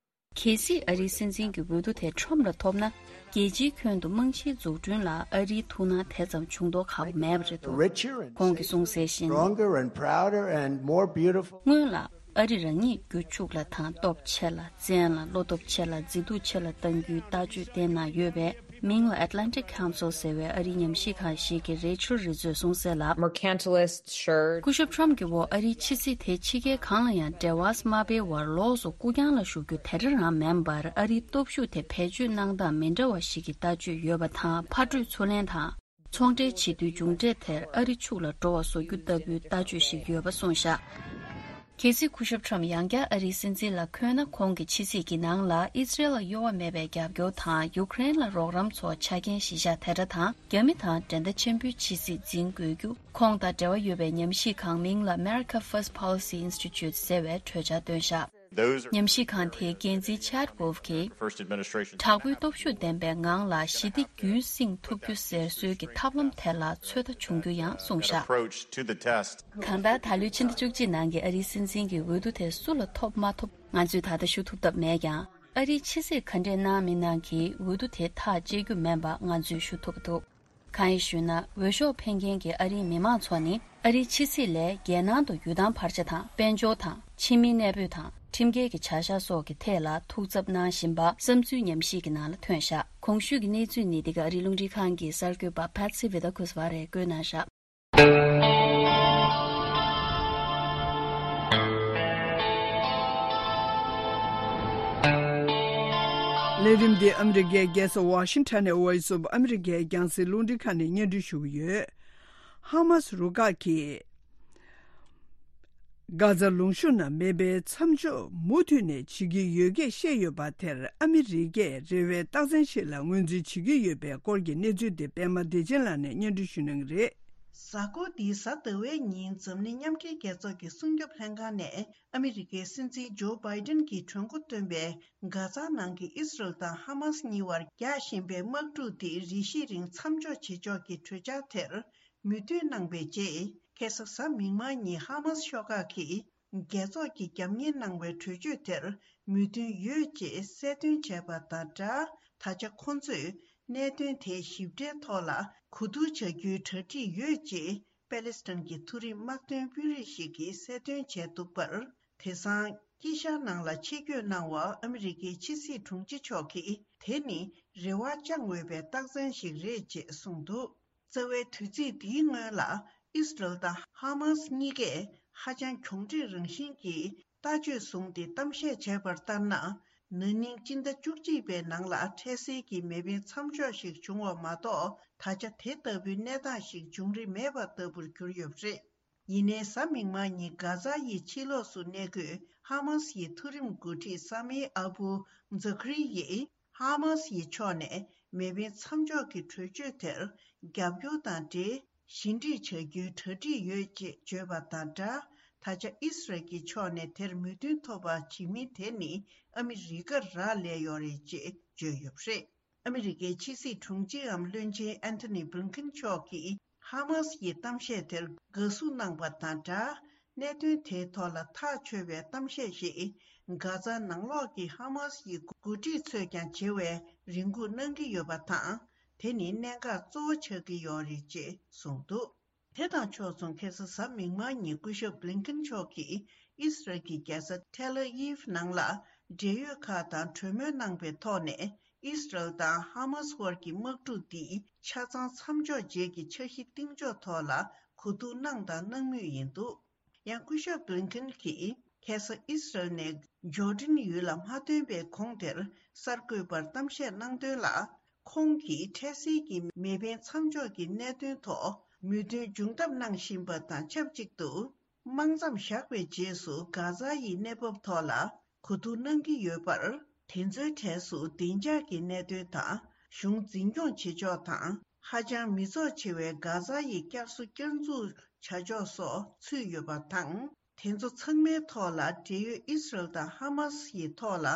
གལ་སྲིད་ཨ་རིའི་སྲིད་འཛིན་གྱི་འོས་བསྡུ་དེ་ཁྲོམ་ལ་ཐོབ་ན། རྒྱལ་སྤྱིའི་ཁྱོན་དུ་རྨང་གཞིའི་འཛུགས་སྐྲུན་ལ་ཨ་རིའི་ཐུགས་སྣང་དེ་ཙམ་བྱུང་མདོག་ཁ་པོ་མེད་པ་རེད་འདུག Richer and ཁོང་གིས་གསུངས་གསལ་བཞིན། Stronger and prouder and more beautiful. སྔོན་ལ་ཨ་རི་རང་ཉིད་རྒྱུ་ཕྱུག་ལ་དང་སྟོབས་ཆེ་ལ་བཙན་ལ་བློ་སྟོབས་ཆེ་ལ་མཛེས་སྡུག་ཆེ་ལ་གཏང་རྒྱུའི་ལྟ་སྤྱོད་བསྟན་གནང་ཡོད་པས། མིང་ལ་Atlantic Council ཟེར་བའི་ཨ་རིའི་ཉམས་ཞིབ་ཁང་ཞིག་གི་རེ་ཆལ་རི་ཛོས་གསུངས་གསལ་ལ། Mercantilist sure. སྐུ་ཞབས་ཁྲོམ་གྱི་འོག་ཨ་རིའི་ཕྱི་སྲིད་དེ་ཕྱི་རྒྱལ་གང་ལ་ཡང་འབྲེལ་བ་མ་སྤེལ་བར་ལོགས་སུ་རྐུ་རྐྱང་ལ་ཞུགས་རྒྱུ་དེ་འདྲ་རང་མིན་པར། ཨ་རིའི་སྟོབས་ཤུགས་དེ་བེད་སྤྱོད་གནང་སྟངས་མི་འདྲ་བ་ཞིག་གི་ལྟ་སྤྱོད་ཡོད་པ་དང་། ཕར་སྤྲོད་ཚུར་ལེན་དང་། ཚོང་འབྲེལ་བྱེད་དུས་མཇུག་འབྲས་དེར་ཨ་རི་ཕྱུག་ལ་འགྲོ་བ་བཟོ་རྒྱུ་ལྟ་བུའི་ལྟ་སྤྱོད་ཞིག་ཡོད་པ་གསུངས་བཞག་གལ་སྲིད་སྐུ་ཞབས་ཁྲོམ་ཡང་བསྐྱར་ཨ་རིའི་སྲིད་འཛིན་ལ་འཁོད་ན། ཁོང་གི་ཕྱི་སྲིད་ཀྱི་ནང་ལ་ཨི་སི་རེལ་ལ་གཡོ་བ་མེད་པའི་རྒྱབ་སྐྱོར་དང་། ཡུ་ཀེ་རེན་ལ་རོགས་རམ་སོགས་ཆ་རྐྱེན་གཞི་བཞག་དེ་འདྲ་དང་། རྒྱ་མི་དང་འགྲན་ཟླ་ཆེན་པོའི་ཕྱི་སྲིད་འཛིན་དགོས་རྒྱུ། ཁོང་དང་འབྲེལ་བ་ཡོད་པའི་ཉམས་ཞིབ་ཁང་མིང་ལ་America First Policy Institute ཟེར་བའི་གྲོས་འཆར་བཏོན་བཞག Those are ཉམས་ཞིབ་ཁང་དེའི་འགན་འཛིན་ཆར་ཝོལ་ཕ་གིས། First administration དྲག་པོའི་སྟོབས་ཤུགས་ལྡན་པའི་ངང་ལ་ཞི་བདེ་རྒྱུན་བསྲིང་ཐུབ་རྒྱུ་ཟེར་སྲོལ་གྱི་ཐབས་ལམ་དེ་ལ་ཚོད་ལྟ་བྱུང་རྒྱུ་ཡང་གསུངས་བཞག approach to the test གང་ལྟར་ད་ལོའི་ཕྱི་ཟླ་བཅུ་གཅིག་ནང་གི་ཨ་རིའི་སྲིད་འཛིན་གྱི་འོས་བསྡུ་དེ་སུ་ལ་ཐོབ་མ་ཐོབ་ང་ཚོས་ད་ལྟ་ཞུ་ཐུབ་ཐབས་མེད་ཀྱང་། ཨ་རིའི་ཕྱི་སྲིད་ག་འདྲས་གནང་མི་གནང་གིས་འོས་བསྡུ་དེ་ཐག་བཅད་རྒྱུ་མིན་པ་ང་ཚོས་ཞུ་ཐུབ་ཀྱི་འདུག་གང་ཡིན་ཞུས་ན། འོས་ཤོག་འཕེན་མཁན་གྱི་ཨ་རིའི་མི་མང་ཚོ་ནི་ཨ་རིའི་ཕྱི་སྲིད་ལས་རྒྱལ་ནང་དུ་ཡུལ་ཐང་བར་ཆ་དང་། དཔལ་འབྱོར་དང་། ཕྱི་མིའི་གནས་སྤོས་དང་། ཁྲིམས་འགལ་གྱི་བྱ་གཞག་སོགས་ཀྱི་ཐད་ལ་ཐུགས་འཚབ་གནང་བཞིན་པ་བསམ་ཚུལ་ཉམས་ཞིབ་ཀྱི་ནང་ལ་ཐོན་བཞག་གོང་ཞུས་ཀྱི་གནས་ཚུལ་ནི་འདི་ག་ཨ་རིའི་རླུང་འཕྲིན་ཁང་གི་གསར་འགོད་པ་Patsy Widakuswara བཀོད་གནང་བཞག་ལས་རིམ་འདི་ཨ་མི་རི་ཀའི་རྒྱལ་ས་ཝ་ཤིང་ཊོན་ནས་Voice of America རྒྱང་སྲིང་རླུང་འཕྲིན་ཁང་ནས་སྙན་སྒྲོན་ཞུ་གི་ཡོད། ཧ་མ་སི་རུ་ཁག་གིས་གྷ་ཛ་ལུང་གཤོང་ནང་མེ་འཕེན་མཚམས་འཇོག་མུ་མཐུད་ནས་བྱེད་ཀྱི་ཡོད་སྐད་བཤད་ཡོད་པ་དེར་ཨ་མི་རི་ཀས་རེ་བའི་རྟགས་མཚན་ཞིག་ལ་ངོས་འཛིན་བྱེད་ཀྱི་ཡོད་པའི་སྐོར་གྱི་གནས་ཚུལ་དེ་པད་མ་བདེ་ཆེན་ལགས་ནས་སྙན་སྒྲོན་ཞུ་གནང་གི་རེད། གཟའ་འཁོར་འདིའི་གཟའ་ཟླ་བའི་ཉིན་འཛམ་གླིང་མཉམ་འབྲེལ་རྒྱལ་ཚོགས་ཀྱི་སྲུང་སྐྱོབ་ལྷན་ཁང་ནས་ཨ་མི་རི་ཀའི་སྲིད་འཛིན་ཇོ་བྷའི་ཏན་གྱིས་གྲོས་འགོ་བཏོན་པའི་གྷ་ཛ་ནང་གི་ཨི་སི་རལ་དང་ཧ་མ་སི་གཉིས་བར་རྒྱག་བཞིན་པའི་དམག་འཁྲུག་དེ་རེ་ཞིག་རིང་མཚམས་འཇོག་བྱེད་ཕྱོགས་ཀྱི་གྲོས་འཆར་དེར་མོས་མཐུན་གནང་བའི་རྗེས། ཁ་སང་གཟའ་མིག་དམར་ཉིན་ཧ་མཱ་སི་ཤོག་ཁག་གིས་རྒྱལ་ཚོགས་ཀྱིས་རྒྱབ་གཉེར་གནང་བའི་གྲོས་ཆོད་དེར་མོས་མཐུན་ཡོད་ཅེས་གསལ་སྟོན་བྱས་པ་དང་སྦྲགས། ད་ཆ་ཁོ་ཚོས་གནད་དོན་དེའི་ཞིབ་ཕྲའི་ཐོག་ལ་གོ་བསྡུར་བྱ་རྒྱུའི་གྲ་སྒྲིག་ཡོད་ཅེས་པེ་ལེ་སི་ཐན་གྱི་མཐོ་རིམ་དམག་དོན་དཔོན་རིགས་ཤིག་གིས་གསལ་སྟོན་བྱས་འདུག་པར། དེང་སང་དཀྱིལ་ཤར་ནང་ལ་ཆེད་བསྐྱོད་གནང་བ་ཨ་མི་རི་ཀའི་ཕྱི་སྲིད་དྲུང་ཆེ་མཆོག་གིས་དེ་ནི་རེ་བ་བཅངས་འོས་པའི་རྟགས་མཚན་ཞིག་རེད་ཅེས་གསུངས་འདུག། རྩ་བའི་དུས་ཚིགས་འདིའི་སྔོན་ལ་ཨིས་རལ་དང་ཧ་མཱ་སི་གཉིས་ཀས་ཧ་ཅང་གྱོང་འཕྲད་རང་བཞིན་གྱི་ལྟ་སྤྱོད་བཟུང་སྟེ་གཏམ་བཤད་བྱས་པར་ལྟར་ན། ན་ནིང་སྤྱི་ཟླ་བཅུ་གཅིག་པའི་ནང་ལ་འཕྲལ་སེལ་གྱི་མེ་འཕེན་མཚམས་འཇོག་ཞིག་བྱུང་བ་མ་གཏོགས། ད་ཆ་དེ་ལྟ་བུའི་གནས་སྟངས་ཤིག་འབྱུང་རིན་མེད་པ་ལྟ་བུར་གྱུར་ཡོད་པ་རེད། ཡིན་ནའི་གཟའ་མིག་དམར་ཉིན་གྷ་ཛ་ཡི་ཕྱི་ལོགས་སུ་གནས་འཁོད་ཧ་མཱ་སི་ཡི་མཐོ་རིམ་འགོ་ཁྲིད་ས་མི་ཨ་བུ་ཛ་ཁ་རི་ཡིས་ཧ་མཱ་སི་ཡི་ཕྱོགས་ནས་མེ་འཕེན་མཚམས་འཇོག་གི་གྲོས་ཆོད་དེར་རྒྱབ་སྐྱོར་དང་འབྲེལ་ཞི་འགྲིག་བྱ་རྒྱུའི་གྲ་སྒྲིག་ཡོད་ཅེས་བརྗོད་པ་དང་སྦྲགས། ད་ཆ་ཨིས་རལ་གྱི་ཕྱོགས་ནས་དེར་མོས་མཐུན་ཐོབ་པ་བྱེད་མིན་དེ་ནི་ཨ་མི་རི་ཀར་རག་ལས་ཡོད་རེད་ཅེས་བརྗོད་ཡོད་པ་རེད། ཨ་མི་རི་ཀའི་ཕྱི་སྲིད་དྲུང་ཆེའམ་བློན་ཆེན་ཨན་ཐོ་ནི་བྷི་ལིན་ཁིན་མཆོག་གིས་ཧ་མཱ་སི་ཡི་གཏམ་བཤད་དེར་དགའ་བསུ་གནང་བ་དང་སྦྲགས། གནད་དོན་དེའི་ཐོག་ལ་ཐག་ཆོད་པའི་གཏམ་བཤད་ཞིག་གྷ་ཛ་ནང་ལོགས་ཀྱི་ཧ་མཱ་སི་ཡི་འགོ་ཁྲིད་ཚོས་ཀྱང་བྱེད་པའི་རེ་སྒུག་གནང་གི་ཡོད་པ་དང་། དེ་ནི་གནད་འགག་གཙོ་བོ་ཆགས་ཀྱི་ཡོད་རེད་ཅེས་གསུངས་འདུག། དེ་དང་ཕྱོགས་མཚུངས། ཁ་སང་གཟའ་མིག་དམར་ཉིན་སྐུ་ཞབས་བྷི་ལིན་ཁིན་མཆོག་གིས་ཨིས་རལ་གྱི་རྒྱལ་ས་ཐེལ་ཨ་ཝིབ་ནང་ལ་འབྲེལ་ཡོད་ཁག་དང་གྲོས་མོལ་གནང་པའི་ཐོག་ནས། ཨིས་རལ་དང་ཧ་མཱ་སི་དབར་གྱི་དམག་འཁྲུག་འདི་ཆ་ཚང་མཚམས་འཇོག་རྗེས་ཀྱི་འཆར་གཞི་གཏིང་ཕྱོགས་ཐོག་ལ་གོ་བསྡུར་གནང་དང་གནང་མུས་ཡིན་འདུག། ཡང་སྐུ་ཞབས་བྷི་ལིན་ཁིན་གྱིས་ཁ་སང་ཨིས་རལ་ནས་ཇོར་ཌན་ཡུལ་ལ་མ་ཐོན་པའི་གོང་དེར་གསར་འགོད་པར་གཏམ་བཤད་གནང་དོན་ལ། ཁོང་གིས་འཕྲལ་སེལ་གྱི་མེ་འཕེན་མཚམས་འཇོག་གི་གནད་དོན་ཐོག་མོས་མཐུན་འབྱུང་ཐབས་གནང་བཞིན་པ་དང་ཆབས་ཅིག་ཏུ། དམག་མཚམས་བཞག་པའི་རྗེས་སུ་གྷ་ཛ་ཡི་གནས་བབ་ཐོག་ལ་གོ་བསྡུར་གནང་གི་ཡོད་པར། དེ་ཚོའི་གྲས་སུ་བདེ་འཇགས་ཀྱི་གནད་དོན་དང་། གཞུང་འཛིན་སྐྱོང་བྱེད་ཕྱོགས་དང་། ཧ་ཅང་མི་ཚོགས་ཆེ་བའི་གྷ་ཛ་ཡི་བསྐྱར་གསོ་བསྐྱར་འཛུགས་བྱ་ཕྱོགས་སོགས་ཚུད་ཡོད་པ་དང་། དེ་ཚོ་ཚང་མའི་ཐོག་ལ་འབྲེལ་ཡོད་ཨིས་རལ་དང་ཧ་མཱ་སི་ཡི་ཐོག་ལ་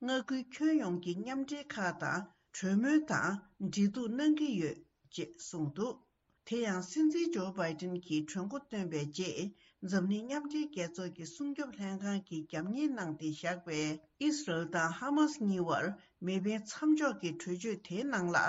མངའ་ཁུལ་ཁྱོན་ཡོངས་ཀྱི་མཉམ་འབྲེལ་ཁག་དང་གྲོས་མོལ་དང་འབྲེལ་གཏུག་གནང་གི་ཡོད་ཅེས་གསུངས་འདུག། དེ་ཡང་སྲིད་འཛིན་ཇོ་བྷའི་ཏིན་གྱིས་གྲོས་འགོ་བཏོན་པའི་རྗེས། འཛམ་གླིང་མཉམ་འབྲེལ་རྒྱལ་ཚོགས་ཀྱི་སྲུང་སྐྱོབ་ལྷན་ཁང་གིས་རྒྱབ་གཉེར་གནང་སྟེ་བཞག་པའི་ཨིས་རལ་དང་ཧ་མཱ་སི་གཉིས་བར་མེ་འཕེན་མཚམས་འཇོག་གི་གྲོས་ཆོད་དེའི་ནང་ལ།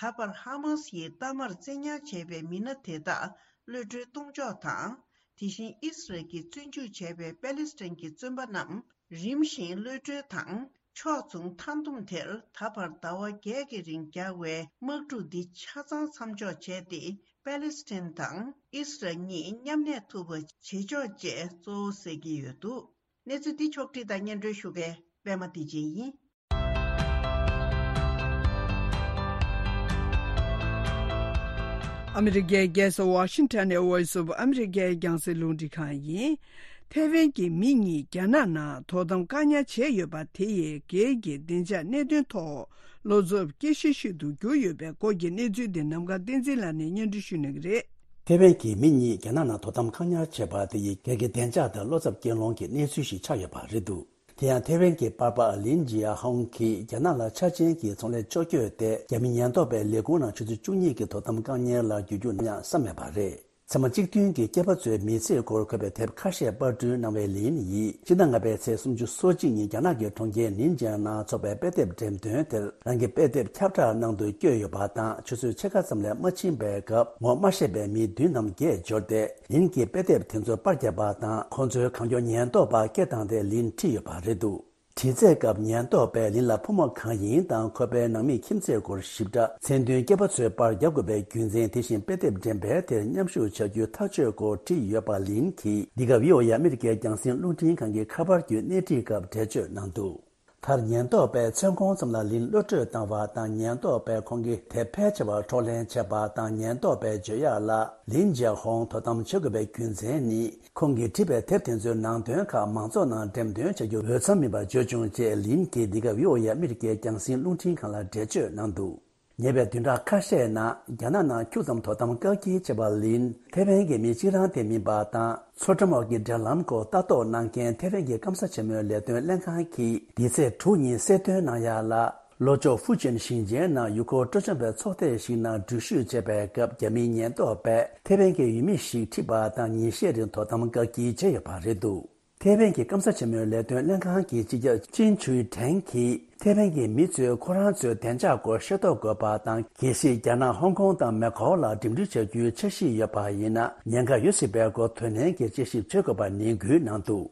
ད་བར་ཧ་མཱ་སི་ཡིས་གཏའ་མར་བཙན་ཉར་བྱས་པའི་མི་སྣ་དེ་དག་གློད་གྲོལ་གཏོང་ཕྱོགས་དང་། དེ་བཞིན་ཨིས་རལ་གྱིས་བཙོན་འཇུག་བྱས་པའི་པེ་ལེ་སི་ཐན་གྱི་བཙོན་པ་རྣམས་རིམ་བཞིན་གློད་གྲོལ་དང་། ཕྱོགས་མཚུངས་མཐའ་བསྡོམས་དེར་ད་བར་ཟླ་བ་བརྒྱད་ཀྱི་རིང་རྒྱག་པའི་དམག་འཁྲུག་འདི་ཆ་ཚང་མཚམས་འཇོག་བྱས་ཏེ། པེ་ལེ་སི་ཐན་དང་ཨིས་རལ་གཉིས་མཉམ་གནས་ཐུབ་པ་བྱེད་ཕྱོགས་བཅས་གཙོ་བོ་གསལ་གྱི་ཡོད་འདུག། གནས་ཚུལ་འདི་ཕྱོགས་བསྒྲིགས་དང་སྙན་སྒྲོན་ཞུ་མཁན་པད་མ་བདེ་ཆེན་ཡིན། ཨ་མི་རི་ཀའི་རྒྱལ་ས་ཝ་ཤིང་ཊོན་ནས་Voice of America་རྒྱང་སྲིང་རླུང་འཕྲིན་ཁང་ཡིན། ཐེ་ཝན་གྱི་མི་གཉིས་རྒྱ་ནག་ནང་དོ་དམ་བཀག་ཉར་བྱས་ཡོད་པ་དེ་ཡི་སྒེར་གྱི་བདེ་འཇགས་གནད་དོན་ཐོག་བློ་འཚབ་སྐྱེ་གཞི་ཞིག་ཏུ་གྱུར་ཡོད་པའི་སྐོར་གྱི་གནས་ཚུལ་དེ་ནམ་མཁའ་བསྟན་འཛིན་ལགས་ནས་སྙན་སྒྲོན་ཞུ་གནང་གི་རེད། ཐེ་ཝན་གྱི་མི་གཉིས་རྒྱ་ནག་ནང་དོ་དམ་བཀག་ཉར་བྱས་པ་དེ་ཡི་སྒེར་གྱི་བདེ་འཇགས་དང་བློ་འཚབ་སྐྱེ་ལོང་གི་གནས་ཚུལ་ཞིག་ཆགས་ཡོད་པ་རེད་འདུག། དེ་ཡང་ཐེ་ཝན་གྱི་པར་པ་ལིན་ཇི་ཡ་ཧོང་གིས་རྒྱ་ནག་ལ་ཆ་ཅན་གྱི་ཚོང་ལས་ཕྱོགས་བསྐྱོད་དེ་རྒྱ་མི་ཉེན་རྟོག་པའི་ལས་ཁུངས་ནང་ཆུ་ཚོད་བཅུ་གཉིས་ཀྱི་དོ་དམ་བཀག་ཉར་ལ་འགྱུར་རྒྱུ་གནང་ཡག་བསམ་མེད་པ་རེད། ཚད་མ་གཅིག་མཐུན་གྱི་སྐྱེས་པ་ཚོའི་མི་ཚེའི་སྐོར་འཁོད་པའི་དེབ་ཁ་ཤས་པར་སྐྲུན་གནང་བའི་ལིན་ཡིས་ཕྱི་ཟླ་ལྔ་པའི་ཚེས་སུམ་ཅུ་སོ་གཅིག་ཉིན་རྒྱ་ནག་གི་གྲོང་ཁྱེར་ནིན་ཅང་ནང་འཚོགས་པའི་དཔེ་དེབ་འགྲེམས་སྟོན་དེར་རང་གི་དཔེ་དེབ་ཁྱབ་བསྒྲགས་གནང་དུ་བསྐྱོད་ཡོད་པ་དང་། ཆུ་ཚོད་ཕྱེད་ཀ་ཙམ་ལས་མ་ཕྱིན་པའི་སྐབས་ངོ་མ་ཤེས་པའི་མི་བདུན་ནམ་བརྒྱད་འབྱོར་ཏེ། ལིན་གྱི་དཔེ་དེབ་དེ་ཚོ་པར་བརྒྱབ་པ་དང་། ཁོང་ཚོའི་གང་མགྱོགས་ཉེན་རྟོག་པ་སྐད་བཏང་སྟེ་ལིན་ཁྲིད་ཡོད་པ་རེད་འདུག། དྲི་རྩད་སྐབས་ཉེན་རྟོག་པས་ལིན་ལ་ཕོ་མོ་གང་ཡིན་དང་ཁོ་པའི་ནང་མིའི་ཁྱིམ་མཚེས་སྐོར་ཞིབ་ཕྲ། མཚན་མཐུན་སྐྱེས་པ་ཚོས་པར་རྒྱག་དགོས་པའི་རྒྱུ་མཚན། དེ་བཞིན་དཔེ་དེབ་འགྲེམས་སྤེལ་དེར་མཉམ་ཞུགས་བྱ་རྒྱུའི་ཐག་གཅོད་སྐོར་དྲིས་ཡོད་པ་ལིན་གྱིས་འདི་ག་བྷི་ཨོ་ཨེ་ཨ་མི་རི་ཀའི་རྒྱང་སྲིང་རླུང་འཕྲིན་ཁང་གི་ཁ་པར་བརྒྱུད་སྣེ་ཁྲིད་སྐབས་འགྲེལ་བརྗོད་གནང་འདུག། མཐར་ཉེན་རྟོག་པས་མཚན་གུང་ཙམ་ལ་ལིན་གློད་གྲོལ་བཏང་བ་དང་། ཉེན་རྟོག་པས་ཁོང་གི་དེབ་ཕལ་ཆེ་བ་འཕྲོག་ལེན་བྱས་པ་དང་། ཉེན་རྟོག་པའི་བརྗོད་ཡག་ལ། ལིན་ཇེ་ཧོང་དོ་དམ་བྱེད་དགོས་པའི་རྒྱུ་མཚན་ནི། ཁོང་གིས་བྲིས་པའི་དེབ་དེ་ཚོའི་ནང་དོན་ཁག་མང་ཚོགས་ནང་འགྲེམས་སྟོན་བྱ་རྒྱུ་འོས་འཚམ་མིན་པ་བརྗོད་བྱུང་ཅེས་ལིན་གྱིས་འདི་ག་བྷི་ཨོ་ཨེ་ཨ་མི་རི་ཀའི་རྒྱང་སྲིང་རླུང་འཕྲིན་ཁང་ལ་འགྲེལ་བརྗོད་གནང་འདུག། ཉེ་བའི་བདུན་ཕྲག་ཁ་ཤས་ནང་རྒྱ་ནག་ནང་ཁྱུག་ཙམ་དོ་དམ་བཀག་སྐྱིལ་བྱས་པ་ལིན། ཐེ་ཝན་གྱི་མི་གཅིག་རང་དེ་མིན་པ་དང་། མཚོ་འགྲམ་འོག་གི་འབྲེལ་ལམ་སྐོར་ལྟ་རྟོག་གནང་མཁན་ཐེ་ཝན་གྱི་སྐམ་ས་ཆེན་མོའི་ལས་དོན་ལྷན་ཁང་གིས་འདི་ཚེས་དྲུག་ཉིན་གསལ་སྟོན་གནང་ཡག་ལ། ལྷོ་ཕྱོགས་ཧྥུ་ཅན་ཞིང་ཆེན་ནང་ཡུལ་སྐོར་སྤྲོ་འཆམ་པའི་ཚོགས་སྡེ་ཞིག་ནང་འགྲུལ་བཞུད་བྱེད་པའི་སྐབས། རྒྱ་མིའི་ཉེན་རྟོག་པས་ཐེ་ཝན་གྱི་ཡུལ་མི་ཞིག་ཁྲིད་པ་དང་ཉིན་ཤས་རིང་དོ་དམ་བཀག་སྐྱིལ་བྱས་ཡོད་པ་རེད་འདུག་ཐེ་ཝན་གྱི་སྐམ་ས་ཆེན་མོའི་ལས་དོན་ལྷན་ཁང་གི་སྤྱི་ཁྱབ་ཅིན་ཆུའི་ཁྲེང་གིས། ཐེ་ཝན་གྱི་མི་ཚོས་ཁོ་རང་ཚོའི་བདེ་འཇགས་སྐོར་ཤེས་རྟོགས་དགོས་པ་དང་། གལ་སྲིད་རྒྱ་ནག་ཧོང་ཀོང་དང་མེ་ཁོའུ་ལ་འགྲིམ་འགྲུལ་བྱ་རྒྱུའི་འཆར་གཞི་ཡོད་པ་ཡིན་ན། ཉེན་ཁ་ཡོད་སྲིད་པའི་སྐོར་དོ་ནན་གྱིས་དཔྱད་ཞིབ་བྱེད་དགོས་པ་ནན་སྐུལ་གནང་འདུག་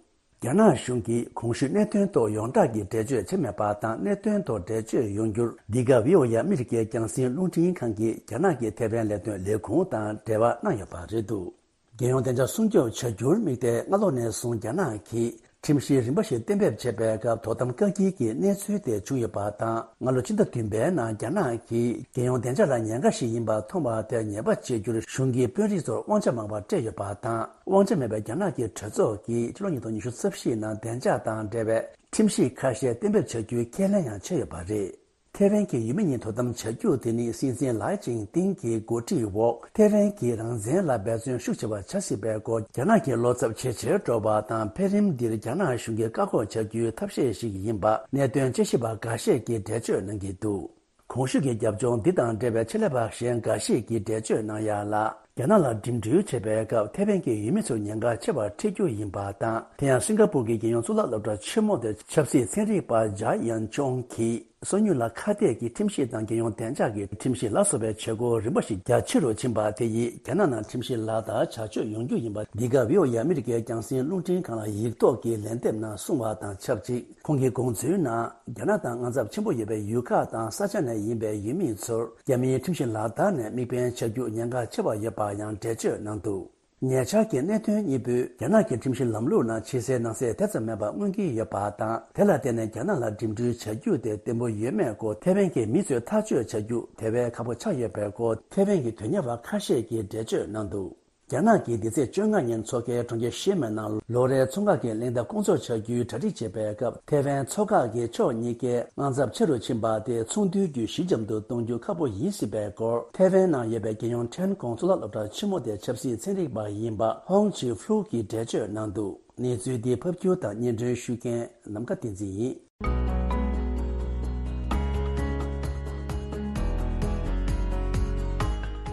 རྒྱ་ནག་གཞུང་གིས་གོང་ཞུས་གནད་དོན་ཐོག་ཡོངས་གྲགས་ཀྱི་འགྲེལ་བརྗོད་བྱས་མེད་པ་དང་། གནད་དོན་ཐོག་འགྲེལ་བརྗོད་ཡོང་རྒྱུར། འདི་ག་བྷི་ཨོ་ཨེ་ཨ་མི་རི་ཀའི་རྒྱང་སྲིང་རླུང་འཕྲིན་ཁང་གིས་རྒྱ་ནག་གི་ཐེ་ཝན་ལས་དོན་ལས་ཁུངས་དང་འབྲེལ་བ་གནང་ཡོད་པ་རེད་འདུག་རྒྱལ་ཡོངས་བདེ་འཇགས་སྲུང་སྐྱོབ་བྱ་རྒྱུར་དམིགས་ཏེ། སྔ་ལོ་ནས་བཟུང་རྒྱ་ནག་གིས་ཁྲིམས་གཞི་རིམ་པ་ཞིག་གཏན་འབེབས་བྱས་པའི་སྐབས། དོ་དམ་བཀག་སྐྱིལ་གྱི་གནས་ཚུལ་དེ་བྱུང་ཡོད་པ་དང་། སྔ་ལོ་ཕྱི་ཟླ་བདུན་པའི་ནང་རྒྱ་ནག་གིས་རྒྱལ་ཡོངས་བདེ་འཇགས་ལ་ཉེན་ཁ་ཞིག་ཡིན་པ་མཐོང་བ་དེར་ཉེས་པ་གཅོད་རྒྱུར་གཞུང་གིས་དཔོན་རིགས་ཚོར་དབང་ཆ་མང་བ་སྤྲད་ཡོད་པ་དང་། དབང་ཆ་མེད་པའི་རྒྱ་ནག་གི་གྲོས་ཚོགས་ཀྱིས་ཕྱི་ལོ་ཉིས་སྟོང་ཉི་ཤུ་རྩ་བཞིའི་ནང་བདེ་འཇགས་དང་འབྲེལ་བའི་ཁྲིམས་གཞི་ཁ་ཤས་གཏན་འབེབས་བྱ་རྒྱུའི་ཁས་ལེན་ཡང་བྱས་ཡོད་པ་རེད། ཐེ་ཝན་གྱི་ཡུལ་མི་གཉིས་དོ་དམ་བྱ་རྒྱུ་དེ་ནི། སྲིད་འཛིན་ལའེ་ཅིང་ཏིང་གི་འགོ་ཁྲིད་འོག་ཐེ་ཝན་གྱི་རང་བཙན་ལ་འབད་བརྩོན་ཤུགས་ཆེ་བ་བྱ་སྲིད་པའི་སྐོར། རྒྱ་ནག་གི་བློ་འཚབ་ཇེ་ཆེར་འགྲོ་བ་དང་། འཕེལ་རིམ་འདིར་རྒྱ་ནག་གཞུང་གིས་བཀག་འགོག་བྱ་རྒྱུའི་ཐབས་ཤེས་ཤིག་ཡིན་པ། གནད་དོན་དཔྱད་ཞིབ་པ་འགའ་ཤས་ཀྱིས་འགྲེལ་བརྗོད་གནང་གི་འདུག་གོང་ཞུས་ཀྱི་རྒྱབ་ལྗོངས་འདི་དང་འབྲེལ་བའི་ཆེད་ལས་པ་གཞན་འགའ་ཞིག་གིས་འགྲེལ་བརྗོད་གནང་ཡག་ལ། རྒྱ་ནག་ལ་འགྲིམ་འགྲུལ་བྱེད་པའི་སྐབས། ཐེ་ཝན་གྱི་ཡུལ་མི་ཚོར་ཉེན་ཁ་ཆེ་བ་འཕྲད་རྒྱུ་ཡིན་པ་དང་། དེ་ཡང་སིང་ག་པུར་གྱི་རྒྱལ་ཡོངས་གཙུག་ལག་སློབ་གྲྭ་ཆེན་མོ་དེར་ཆབ་སྲིད་ཚན་རིག་པ་ཇཱ་ཡན་ཅོང་གིས། སོ་ཉུལ་ལ་ཁ་གཏད་ཀྱི་ཁྲིམས་གཞི་དང་། རྒྱལ་ཡོངས་བདེ་འཇགས་ཀྱི་ཁྲིམས་གཞི་ལ་སོགས་པའི་བྱེད་སྒོ་རིམ་པ་ཞིག་རྒྱ་ཆེ་རུ་ཕྱིན་པ་དེ་ཡིས། རྒྱ་ནག་ནང་ཁྲིམས་གཞི་ལག་བསྟར་བྱ་སྤྱོད་ཡོང་རྒྱུ་ཡིན་པ། འདི་ག་བྷི་ཨོ་ཨེ་ཨ་མི་རི་ཀའི་རྒྱང་སྲིང་རླུང་འཕྲིན་ཁང་ལ་ཡིག་ཐོག་གི་ལན་འདེབས་ནང་གསུངས་པ་དང་ཆབས་ཅིག་ཁོང་གིས་དགོངས་ཚུལ་ནང་། རྒྱ་ནག་དང་དབང་ཚད་ཆེན་པོ་ཡོད་པའི་ཡུལ་ཁག་དང་ས་ཆ་ནས་ཡིན་པའི་ཡུལ་མི་ཚོར། རྒྱ་མིའི་ཁྲིམས་གཞི་ལག་བསྟར་ནས་དམིགས་འབེན་བྱ་རྒྱུ་ཉེན་ཁ་ཆེ་བ་ཡོད་པ་ཡང་འགྲེལ་བརྗོད་གནང་འདུག་ཉེ་ཆར་གྱི་གནད་དོན་གཉིས་པོས། རྒྱ་ནག་གི་ཁྲིམས་གཞི་ལམ་ལུགས་ནང་ཕྱི་གསལ་ནང་གསལ་དེ་ཙམ་མེད་པ་མངོན་གྱི་ཡོད་པ་དང་། དེ་ལ་བརྟེན་ནས་རྒྱ་ནག་ལ་འགྲིམ་འགྲུལ་བྱ་རྒྱུ་དེ་བརྟན་པོ་ཡོད་མེད་སྐོར། ཐེ་ཝན་གྱི་མི་ཚོས་ཐག་གཅོད་བྱ་རྒྱུ་དེ་བས་ཁག་པོ་ཆགས་ཡོད་པའི་སྐོར། ཐེ་ཝན་གྱི་དོན་གཉེར་བ་ཁ་ཤས་ཀྱིས་འགྲེལ་བརྗོད་གནང་འདུག་རྒྱ་ནག་གིས་འདི་ཚེས་བཅོ་ལྔ་ཉིན་འཚོགས་མཁན་གྲོང་ཁྱེར་ཤི་མེ་ནང་ལོ་རེའི་མཚོ་འགག་གི་གླེང་སྟེགས་སྐོང་ཚོགས་བྱ་རྒྱུའི་གྲ་སྒྲིག་བྱེད་པའི་སྐབས། ཐེ་ཝན་མཚོ་འགག་གི་ཕྱོགས་གཉིས་ཀའི་དབང་ཚད་ཆེ་རུ་ཕྱིན་པ་དེས་ཚོང་འདུས་བརྒྱུད་ཞི་འཇམ་དུ་གཏོང་རྒྱུ་ཁག་པོ་ཡིན་སྲིད་པའི་སྐོར། ཐེ་ཝན་ནང་ཡོད་པའི་རྒྱལ་ཡོངས་ཁྲེན་ཀོང་གཙུག་ལག་སློབ་གྲྭ་ཆེན་མོ་དེའི་ཆབ་སྲིད་ཚན་རིག་པ་ཡིན་པ་ཧོང་ཆི་ཧྥུ་གིས་འགྲེལ་བརྗོད་གནང་འདུག་གནས་ཚུལ་འདི་ཕབ་སྒྱུར་དང་སྙན་སྒྲོན་ཞུ་མཁན་ནམ་མཁའ་བསྟན་འཛིན་ཡིན།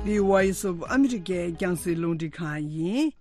འདི་Voice of America་རྒྱང་སྲིང་རླུང་འཕྲིན་ཁང་ཡིན།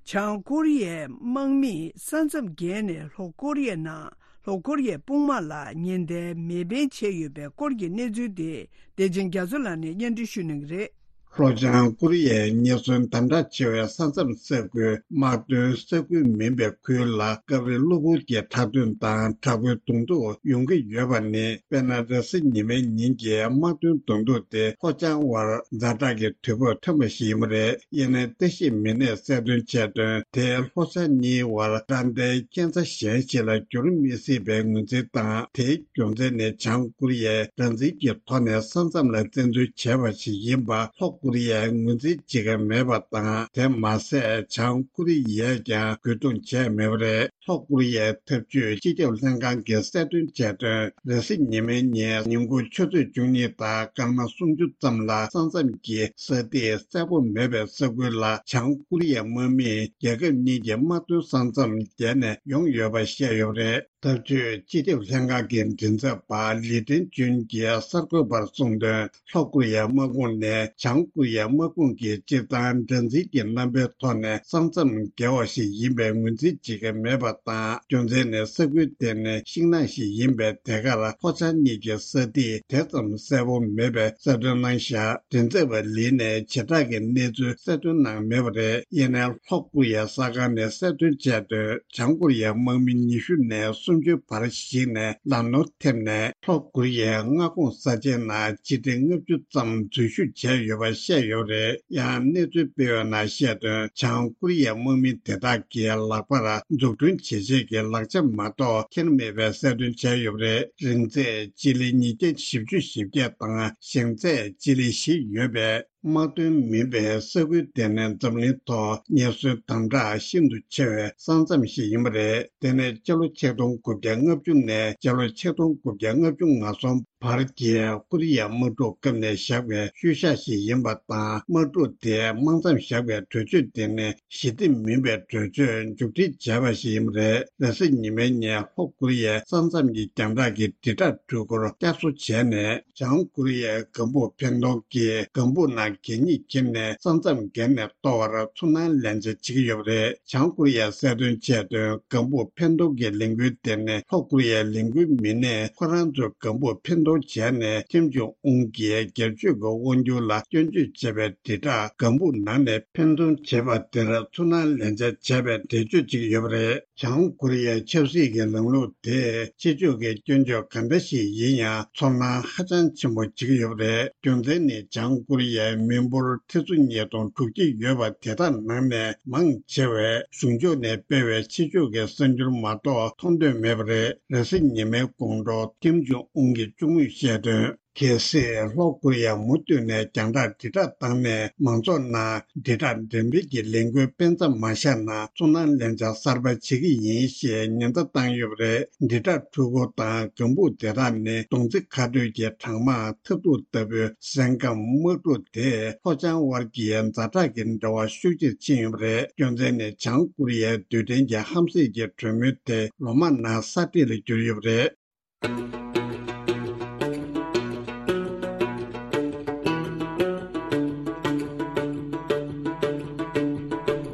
བྱང་ཀོ་རི་ཡའི་དམག་མིས་ས་མཚམས་བརྒལ་ནས་ལྷོ་ཀོ་རི་ཡའི་ནང་ལྷོ་ཀོ་རི་ཡའི་དཔུང་དམག་ལ་ཉེན་བརྡའི་མེ་འཕེན་བྱས་ཡོད་པའི་སྐོར་གྱི་གནས་ཚུལ་དེ། བདེ་ཆེན་རྒྱ་མཚོ་ལགས་ནས་སྙན་སྒྲོན་ཞུ་གནང་གི་རེད། ལྷོ་བྱང་ཀོ་རི་ཡའི་ཉེན་ཟོན་དམ་དྲག་ཆེ་བའི་ས་མཚམས་ས་ཁུལ། དམག་དོན་ས་ཁུལ་མིན་པའི་ཁུལ་ལ་སྐབས་རེ་གློ་བུར་གྱི་ཁྲག་འཐུང་དང་དྲག་པོའི་གདོང་ཐུག་ཡོང་གི་ཡོད་པ་ནི། དཔེར་ན། རེས་གཟའ་ཉི་མའི་ཉིན་གྱི་དམག་དོན་གདོང་ཐུག་དེ་ལྷོ་བྱང་བར་ཛ་དྲག་གི་དུས་བབ་ཐོན་པ་ཞིག་ཡིན་པ་རེད། ཡིན་ནའི་ལྟ་ཞིབ་མི་སྣས་གསལ་སྟོན་བྱས་དོན། དེ་ལྷོ་བྱང་གཉིས་བར་དགྲ་ཟླའི་རྐྱེན་རྩ་གཞན་ཞིག་ལ་འགྱུར་མི་སྲིད་པའི་ངོས་འཛིན་དང་། དེའི་རྒྱུ་མཚན་ནི་བྱང་ཀོ་རི་ཡས་སྒྲ་འཛིན་གྱི་ཐོག་ནས་ས་མཚམས་ལ་བཙན་འཛུལ་བྱས་པ་ཞིག་ཡིན་པ་ལྷོ་ཀོ་རི་ཡས་ངོས་འཛིན་བྱེད་ཀྱི་མེད་པ་དང་། དེ་མ་ཟད་བྱང་ཀོ་རི་ཡས་ཀྱང་རྒོལ་རྡུང་བྱས་མེད་པ་རེད། ལྷོ་ཀོ་རི་ཡའི་འཐབ་ཇུས་སྤྱི་ཁྱབ་ལྷན་ཁང་གིས་གསལ་སྟོན་བྱས་དོན། རེས་གཟའ་ཉི་མའི་ཉིན་ཉིན་གུང་ཆུ་ཚོད་བཅུ་གཉིས་དང་སྐར་མ་སུམ་ཅུ་ཙམ་ལ་ས་མཚམས་ཀྱི་ས་ཐིག་གསལ་པོ་མེད་པའི་ས་ཁུལ་ལ་བྱང་ཀོ་རི་ཡའི་དམག་མིས་རྒྱལ་ཁབ་གཉིས་ཀྱི་དམག་དོན་ས་མཚམས་བརྒལ་ནས་ཡོང་ཡོད་པ་བཤད་ཡོད་པ་རེད། འཐབ་ཇུས་སྤྱི་ཁྱབ་ལྷན་ཁང་གི་མགྲིན་ཚབ་པ་ལི་ཀྲན་ཅུན་གྱིས་གསར་འགོད་པར་གསུངས་དོན། ལྷོ་ཀོ་རི་ཡའི་དམག་དཔུང་ནས་བྱང་ཀོ་རི་ཡའི་དམག་དཔུང་གིས་སྤྱིར་བཏང་སྒྲ་འཛིན་གྱི་རྣམ་པའི་ཐོག་ནས་ས་མཚམས་བརྒལ་བ་ཞིག་ཡིན་པའི་ངོས་འཛིན་བྱེད་ཀྱི་མེད་པ་དང་། རྒྱུ་མཚན་ནི་ས་ཁུལ་དེ་ནི་ཤིང་ནགས་ཤིག་ཡིན་པས། དེ་གར་ལྷོ་བྱང་གཉིས་ཀྱི་ས་ཐིག་དེ་ཙམ་གསལ་པོ་མེད་པའི་གསལ་སྟོན་གནང་བཞག་མགྲིན་ཚབ་པ་ལི་ནས་བྱེ་བྲག་གི་གནས་ཚུལ་གསལ་སྟོན་གནང་མེད་པ་རེད། ཡིན་ནའི་ལྷོ་ཀོ་རི་ཡའི་གསར་ཁང་ནས་གསལ་སྟོན་བྱས་དོན། བྱང་ཀོ་རི་ཡའི་དམག་མི་ཉི་ཤུ་ནས་སུམ་ཅུའི་བར་ཞིག་ནས་ལམ་ནོར་ཐེབས་ནས་ལྷོ་ཀོ་རི་ཡའི་མངའ་ཁོངས་ས་ཆའི་ནང་སྤྱི་ཁྲེ་ལྔ་བཅུ་ཙམ་འཛུལ་ཞུགས་བྱས་ཡོད་པ་བཤད་ཡོད་རེད། ཡང་གནས་ཚུལ་སྤེལ་བའི་ནང་བཤད་དོན། བྱང་ཀོ་རི་ཡའི་དམག་མི་དེ་དག་གིས་ལག་པར་འཛུགས་སྐྲུན་བྱེད་ཆེད་ཀྱི་ལག་ཆ་མ་གཏོགས་འཁྱེར་མེད་པའི་གསལ་སྟོན་བྱས་ཡོད་རེད། རིང་ཚད་སྤྱི་ལེ་ཉིས་བརྒྱ་བཞི་བཅུ་ཞེ་བརྒྱད་དང་ཞེང་ཚད་སྤྱི་ལེ་བཞི་ཡོད་པའི། དམག་དོན་མིན་པའི་ས་ཁུལ་དེ་ནི་འཛམ་གླིང་ཐོག་ཉེན་ཟོན་དམ་དྲག་ཤིན་ཏུ་ཆེ་བའི་ས་མཚམས་ཤིག་ཡིན་པ་རེད། དེ་ནི་སྤྱི་ལོ་ཆིག་སྟོང་དགུ་བརྒྱ་ལྔ་བཅུ་ནས་སྤྱི་ལོ་ཆིག་སྟོང་དགུ་བརྒྱ་ལྔ་བཅུ་ང་གསུམ་ བར་གྱི་ཀོ་རི་ཡའི་དམག་འཁྲུག་སྐབས་ནས་བཞག་པའི་ཤུལ་བཞག་ཞིག་ཡིན་པ་དང་། དམག་འཁྲུག་དེ་དམག་མཚམས་བཞག་པའི་གྲོས་ཆོད་དེ་ནི་ཞི་བདེ་མིན་པའི་གྲོས་ཆོད་མཇུག་སྒྲིལ་བྱས་པ་ཞིག་ཡིན་པ་རེད། རེས་གཟའ་ཉི་མའི་ཉིན་ལྷོ་ཀོ་རི་ཡའི་ས་མཚམས་ཀྱི་རྒྱང་བསྒྲགས་ཀྱི་དྲིལ་བསྒྲགས་འཕྲུལ་འཁོར་བསྐྱར་གསོ་བྱས་ནས། བྱང་ཀོ་རི་ཡའི་ལྒང་བུ་འཕེན་གཏོང་གིས་ལྒང་བུ་ནང་གད་སྙིགས་ཁྱེར་ནས་ས་མཚམས་བརྒལ་ནས་གཏོར་བར་ཚུར་སྣང་ལེན་བྱ་བྱེད་ཀྱི་ཡོད་པ་རེད། བྱང་ཀོ་རི་ཡས་གསལ་སྟོན་བྱས་དོན། ལྒང་བུ་འཕེན་གཏོང་གི་ལས་འགུལ་དེ་ནི་ལྷོ་ཀོ་རི་ཡའི་ལས་འགུལ་མི་སྣས་ཁོ་རང་ཚོའི་ལྒང་བུ་འཕེན་གཏོང་བྱས་ནས་ཁིམ་ཇོང་ཨུན་གྱིས་སྒེར་གཅོད་ཀྱི་དབང་སྒྱུར་ལ་སྐྱོན་བརྗོད་བྱས་པའི་དྲིལ་བསྒྲགས་ལྒང་བུ་ནང་ནས་འཕེན་གཏོང་བྱས་པ་དེར་ཚུར་སྣང་ལེན་བྱ་བྱས་པའི་འགྲེལ་བརྗོད་ཅིག་ཡོད་པ་རེད། བྱང་ཀོ་རི་ཡའི་ཆབ་སྲིད་ཀྱི་ལམ་ལུགས་དེས་ཕྱི་ཕྱོགས་ཀྱི་སྐྱོན་བརྗོད་ག་འདྲ་ཞིག་ཡིན་ཡང་ཚོར་སྣང་ཧ་ཅང་ཆེན་པོ་བྱེད་ཀྱི་ཡོད་པ་རེད། རྒྱུ་མཚན་ནི་བྱང་ཀོ་རི་ཡའི་མི་འབོར་ཁྲི་ཚོ་ཉིས་སྟོང་དྲུག་ཅུ་ཡོད་པ་དེ་དག་ནང་ནས་མང་ཆེ་བས་གཞུང་ཕྱོགས་ནས་སྤེལ་བའི་ཕྱི་ཕྱོགས་ཀྱི་གསར་འགྱུར་མ་གཏོགས་མཐོང་འདོད་མེད་པ་རེད། རེས་གཟའ་ཉི་མའི་དགོང་དྲོ་ཁིམ་ཇོང་ཨུན་གྱིས་བཅུ་དངོས་བཤད་དོན། གལ་སྲིད་ལྷོ་ཀོ་རི་ཡ་མུ་མཐུད་ནས་རྒྱང་བསྒྲགས་དྲིལ་བསྒྲགས་བཏང་ནས་མང་ཚོགས་ནང་དྲིལ་བསྒྲགས་འགྲེམས་སྤེལ་གྱི་ལས་འགུལ་སྤེལ་མཚམས་མ་བཞག་ན་ཚུར་སྣང་ལེན་བྱ་གསར་པ་བྱེད་ཀྱི་ཡིན་ཞེས་ཉེན་བརྡ་བཏང་ཡོད་པ་རེད། དྲིལ་བསྒྲགས་འཕྲུལ་འཁོར་དང་ལྒང་བུ་དེ་དག་ནི་གདོང་རྩེ་ཁ་སྤྲོད་ཀྱི་གྲང་དམག་ཐབས་སྡུག་ལྟ་བུའི་སེམས་ཁམས། དམག་འཁྲུག་དེས་ལྷོ་བྱང་དབར་གྱི་ཛ་དྲག་གི་འབྲེལ་བ་ཤུགས་ཆེར་ཕྱིན་ཡོད་པ་རེད། རྒྱུ་མཚན་ནི་བྱང་ཀོ་རི་ཡའི་རྡུལ་ཕྲན་གྱི་ཧམ་སེམས་ཀྱི་གྲོས་མོལ་དེ་ལོ་མང་ནང་ས་འདྲེས་ལ་གྱུར་ཡོད་པ་རེད།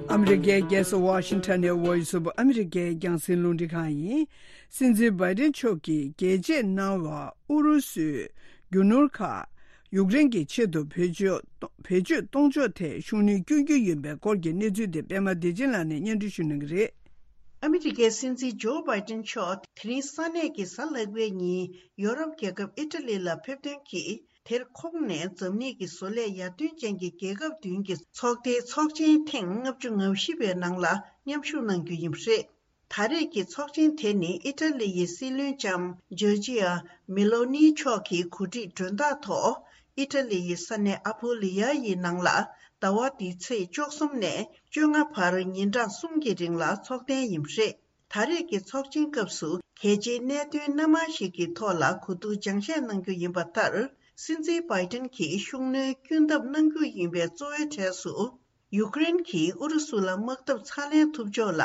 ཨ་མི་རི་ཀའི་རྒྱལ་ས་ཝ་ཤིང་ཊོན་ནས་Voice of America་རྒྱང་སྲིང་རླུང་འཕྲིན་ཁང་ཡིན། སྲིད་འཛིན་བྷའི་ཏིན་མཆོག་གིས་རྒྱལ་གཅེས་གནང་བ་ཨུ་རུ་སུའི་རྒྱུ་ནོར་ཁག་ཡུཀ་རེན་གྱི་ཆེད་དུ་བེད་སྤྱོད་བེད་སྤྱོད་གཏོང་ཕྱོགས་ཐད་ཤུགས་སྣོན་སྐྱོན་རྒྱུ་ཡིན་པའི་སྐོར་གྱི་གནས་ཚུལ་དེ་པད་མ་བདེ་ཆེན་ལགས་ནས་སྙན་སྒྲོན་ཞུ་གནང་གི་རེད། ཨ་མི་རི་ཀའི་སྲིད་འཛིན་ཇོ་བྷའི་ཏིན་མཆོག་དེ་རིང་ས་གནས་ཀྱི་གཟའ་ལྷག་པའི་ཉིན་ཡོ་རོབ་རྒྱལ་ཁབ་ཨི་ཊ་ལི་ལ་ཕེབས་ཐོན་གྱིས། དེར་ཁོང་ནས་འཛམ་གླིང་གི་བཟོ་ལས་ཡར་ཐོན་ཅན་གྱི་རྒྱལ་ཁབ་བདུན་གྱི་ཚོགས་སྡེའི་ཚོགས་ཆེན་ཐེངས་ལྔ་བཅུ་ང་བཞི་པའི་ནང་ལ་མཉམ་ཞུགས་གནང་རྒྱུ་ཡིན་པ་རེད། ད་རེས་ཀྱི་ཚོགས་ཆེན་དེ་ནི་ཨི་ཊ་ལི་ཡི་སྲིད་བློན་ལྕམ་ཇོར་ཇི་ཡ་མེ་ལོ་ནི་མཆོག་གི་གོ་སྒྲིག་མགྲོན་བདག་ཐོག་ཨི་ཊ་ལི་ཡི་ས་གནས་ཨ་པུ་ལི་ཡ་ཡི་ནང་ལ་ཟླ་བ་འདིའི་ཚེས་བཅུ་གསུམ་ནས་བཅོ་ལྔ་བར་ཉིན་གྲངས་གསུམ་གྱི་རིང་ལ་འཚོགས་གཏན་ཡིན་པ་རེད། ད་རེས་ཀྱི་ཚོགས་ཆེན་སྐབས་སུ་གལ་ཆེའི་གནད་དོན་སྣ་མང་ཞིག་གི་ཐོག་ལ་གོ་བསྡུར་སྦྱང་བཤད་གནང་རྒྱུ་ཡིན་པ་ལྟར། སྲིད་འཛིན་བྷའི་ཏིན་གྱིས་ཤུགས་སྣོན་སྐྱོན་ཐབས་གནང་རྒྱུ་ཡིན་པའི་གཙོ་བོའི་གྲས་སུ། ཡུཀ་རེན་གྱིས་ཨུ་རུ་སུ་ལ་དམག་འཐབ་ཚ་ལེན་ཐུབ་ཕྱོགས་ལ་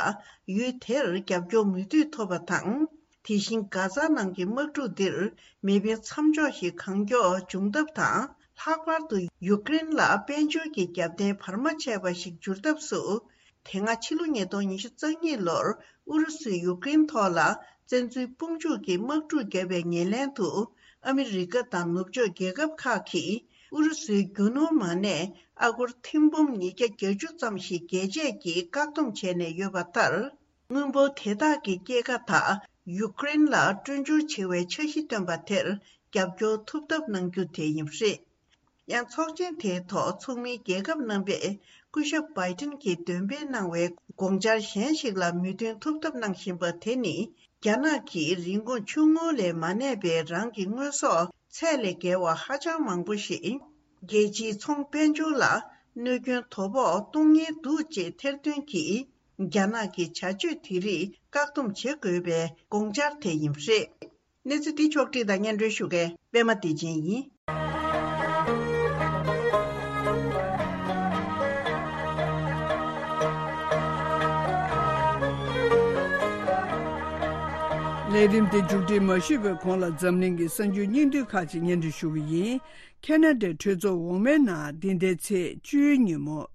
ཡུལ་དེར་རྒྱབ་སྐྱོར་མུ་མཐུད་ཐོབ་པ་དང་། དེ་བཞིན་གྷ་ཛ་ནང་གི་དམག་འཁྲུག་འདིར་མེ་འཕེན་མཚམས་འཇོག་ཞིག་གང་མགྱོགས་འབྱུང་ཐབས་དང་། ལྷག་པར་དུ་ཡུཀ་རེན་ལ་དཔལ་འབྱོར་གྱི་རྒྱབ་རྟེན་བར་མ་ཆད་པ་ཞིག་འགྱུར་ཐབས་སུ། དེ་སྔ་ཕྱི་ལོ་ཉིས་སྟོང་ཉི་ཤུ་རྩ་གཉིས་ལོར་ཨུ་རུ་སུས་ཡུཀ་རེན་ཐོག་ལ་བཙན་འཛུལ་དཔུང་འཇུག་གི་དམག་འཁྲུག་བརྒྱབ་པའི་ཉེར་ལེན་དུ། ཨ་མི་རི་ཀ་དང་ནུབ་ཕྱོགས་རྒྱལ་ཁབ་ཁག་གིས་ཨུ་རུ་སུའི་རྒྱུ་ནོར་མ་གནས་ཨ་སྒོར་ཐེར་འབུམ་ཉིས་བརྒྱ་བརྒྱད་ཅུ་ཙམ་ཞིག་རྒྱལ་སྤྱིས་ཀྱིས་བཀག་སྡོམ་བྱས་ནས་ཡོད་པ་ལྟར། དངུལ་འབོར་དེ་དག་གི་སྐྱེད་ཀ་དག་ཡུཀ་རེན་ལ་སྤྲོད་འབྱོར་བྱེད་པའི་འཆར་གཞི་བཏོན་པ་དེར་རྒྱབ་སྐྱོར་ཐུབ་ཐབས་གནང་རྒྱུ་དེ་ཡིན་པ་རེད། ཡང་ཚོགས་ཆེན་དེའི་ཐོག་ཚོགས་མིའི་རྒྱལ་ཁབ་རྣམ་པས་སྐུ་ཞབས་བྷའི་ཏིན་གྱིས་འདོན་སྤེལ་གནང་བའི་དགོངས་འཆར་གཞན་ཞིག་ལ་མོས་མཐུན་ཐུབ་ཐབས་གནང་བཞིན་པ་དེ་ནི། རྒྱ་ནག་གིས་རིན་གོང་ཆུང་ངུ་ལས་མ་གནས་པའི་རང་གི་དངོས་ཟོག་ཚད་ལས་བརྒལ་བ་ཧ་ཅང་མང་པོ་ཞིག་རྒྱལ་སྤྱིའི་ཚོང་དཔལ་འབྱོར་ལ་གནོད་སྐྱོན་དོ་ཕོག་གཏོང་ཉེན་འདུག་ཅེས་ཐེར་འདོན་གྱིས། རྒྱ་ནག་གི་བྱ་སྤྱོད་དེ་རིགས་བཀག་སྡོམ་བྱེད་དགོས་པའི་དགོངས་འཆར་དེ་ཡིན་པ་རེད། གནས་ཚུལ་འདི་ཕྱོགས་བསྒྲིགས་དང་སྙན་སྒྲོན་ཞུ་མཁན་པད་མ་བདེ་ཆེན་ཡིན། ལས་རིམ་དེ་མཇུག་སྒྲིལ་མ་ཞུས་པའི་གོང་ལ་འཛམ་གླིང་གི་གསར་འགྱུར་སྙིང་བསྡུས་ཁག་ཅིག་སྙན་སྒྲོན་ཞུ་གི་ཡིན། ཁེ་ན་ཌའི་གྲོས་ཚོགས་འོག་མའི་ནང་འདི་ཟླའི་ཚེས་བཅུའི་ཉིན་མོ།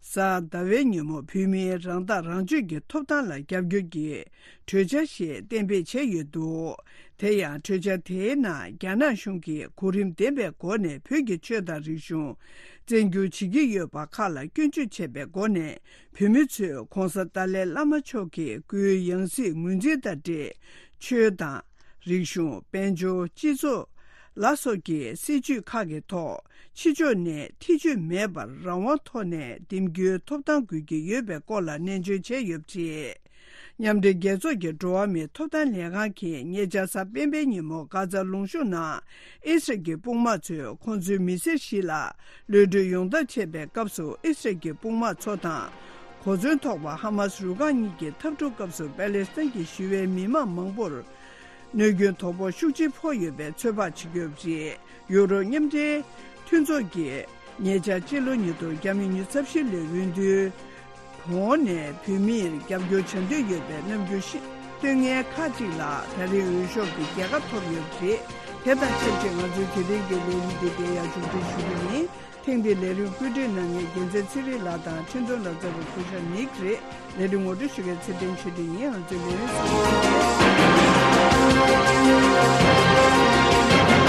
གཟའ་ཟླ་བའི་ཉིན་མོ་བོད་མིའི་རང་ཐག་རང་གཅོད་ཀྱི་ཐོབ་ཐང་ལ་རྒྱབ་སྐྱོར་གྱི་གྲོས་འཆར་ཞིག་གཏན་འབེབས་བྱས་ཡོད་འདུག་དེ་ཡང་གྲོས་འཆར་དེའི་ནང་རྒྱ་ནག་གཞུང་གིས་གོ་རིམ་ལྡན་པའི་སྒོ་ནས་བོད་ཀྱི་ཆོས་དང་རིག་གཞུང་བཙན་བསྒྱུར་བྱེད་ཀྱི་ཡོད་པ་ཁག་ལ་སྐྱོན་བརྗོད་བྱས་པའི་སྒོ་ནས། བོད་མི་ཚོས་༧གོང་ས་ཏཱ་ལའི་བླ་མ་མཆོག་གི་སྐུའི་ཡང་སྲིད་ངོས་འཛིན་དང་འབྲེལ། ཆོས་དང་། རིག་གཞུང་། དཔལ་འབྱོར། སྤྱི་ཚོགས་ལ་སོགས་ཀྱི་སྲིད་བྱུས་ཁག་གི་ཐོག་ཕྱི་ཕྱོགས་ནས་ཐེ་བྱུས་མེད་པར་རང་དབང་ཐོག་ནས་འདེམས་རྒྱུའི་ཐོབ་ཐང་དགོས་ཀྱི་ཡོད་པའི་སྐོར་ལ་ནན་བརྗོད་བྱས་ཡོད་པ་རེད། མཉམ་འབྲེལ་རྒྱལ་ཚོགས་ཀྱི་འགྲོ་བ་མིའི་ཐོབ་ཐང་ལས་ཁང་གིས་ཉེ་ཆར་གཟའ་སྤེན་པའི་ཉིན་མོ་གྷ་ཛ་ལུང་གཤོང་ནང་ཨི་སི་རལ་གྱི་དཔུང་དམག་ཚོས་ཁོང་ཚོའི་མི་སེར་བཞི་ལ་གློད་གྲོལ་ཡོང་ཐབས་བྱེད་པའི་སྐབས་སུ་ཨི་སི་རལ་གྱི་དཔུང་དམག་ཚོ་དང་། གོ་མཚོན་ཐོགས་པ་ཧ་མ་སི་རུ་ཁག་གཉིས་ཀྱི་འཐབ་འཁྲུག་སྐབས་སུ་པེ་ལེ་སི་ཐན་གྱི་ཞི་བའི་མི་མང་མང་པོར་ གནོད་སྐྱོན་དོ་ཕོག་ཤུགས་ཆེ་ཕོག་ཡོད་པའི་ཚོད་དཔག་བྱེད་ཀྱི་ཡོད་པ་རེད། ཡུ་རོབ་མཉམ་འབྲེལ་མཐུན་ཚོགས་ཀྱིས་ཉེ་ཆར་སྤྱི་ལོ་ཉིས་སྟོང་ཉི་ཤུ་རྩ་བཞི་ལོའི་འོས་བསྡུའི་གོང་ནས་བོད་མིར་རྒྱབ་སྐྱོར་བྱ་འདོད་ཡོད་པའི་རྣམ་འགྱུར་ཞིག་སྟོན་མཁན་ཁག་ཅིག་ལ་ད་རེས་འོས་ཤོག་གི་རྒྱལ་ཁ་ཐོབ་ཡོད་པ་རེད། དེ་དང་ཆབས་ཅིག་ང་ཚོའི་དེ་རིང་གི་ལས་རིམ་འདི་འདིར་ཡར་མཇུག་སྒྲིལ་ཞུ་རྒྱུ་ཡིན། ཐེངས་འདིའི་ལས་རིམ་བཀོད་སྒྲིག་གནང་མཁན་རྒྱལ་མཚན་ཚེ་རིང་ལགས་དང་འཕྲིན་གཏོང་ལག་རྩལ་པ་སྐུ་ཞབས་ནིག་རེད། ལས་རིམ་ངོ་སྤྲོད་ཞུ་མཁན་ཚེ་བརྟན་ཆོས་སྒྲོན་ཡིན། ང་ཚོའི་ལས་རིམ་གསན་གཟིགས་གནང་།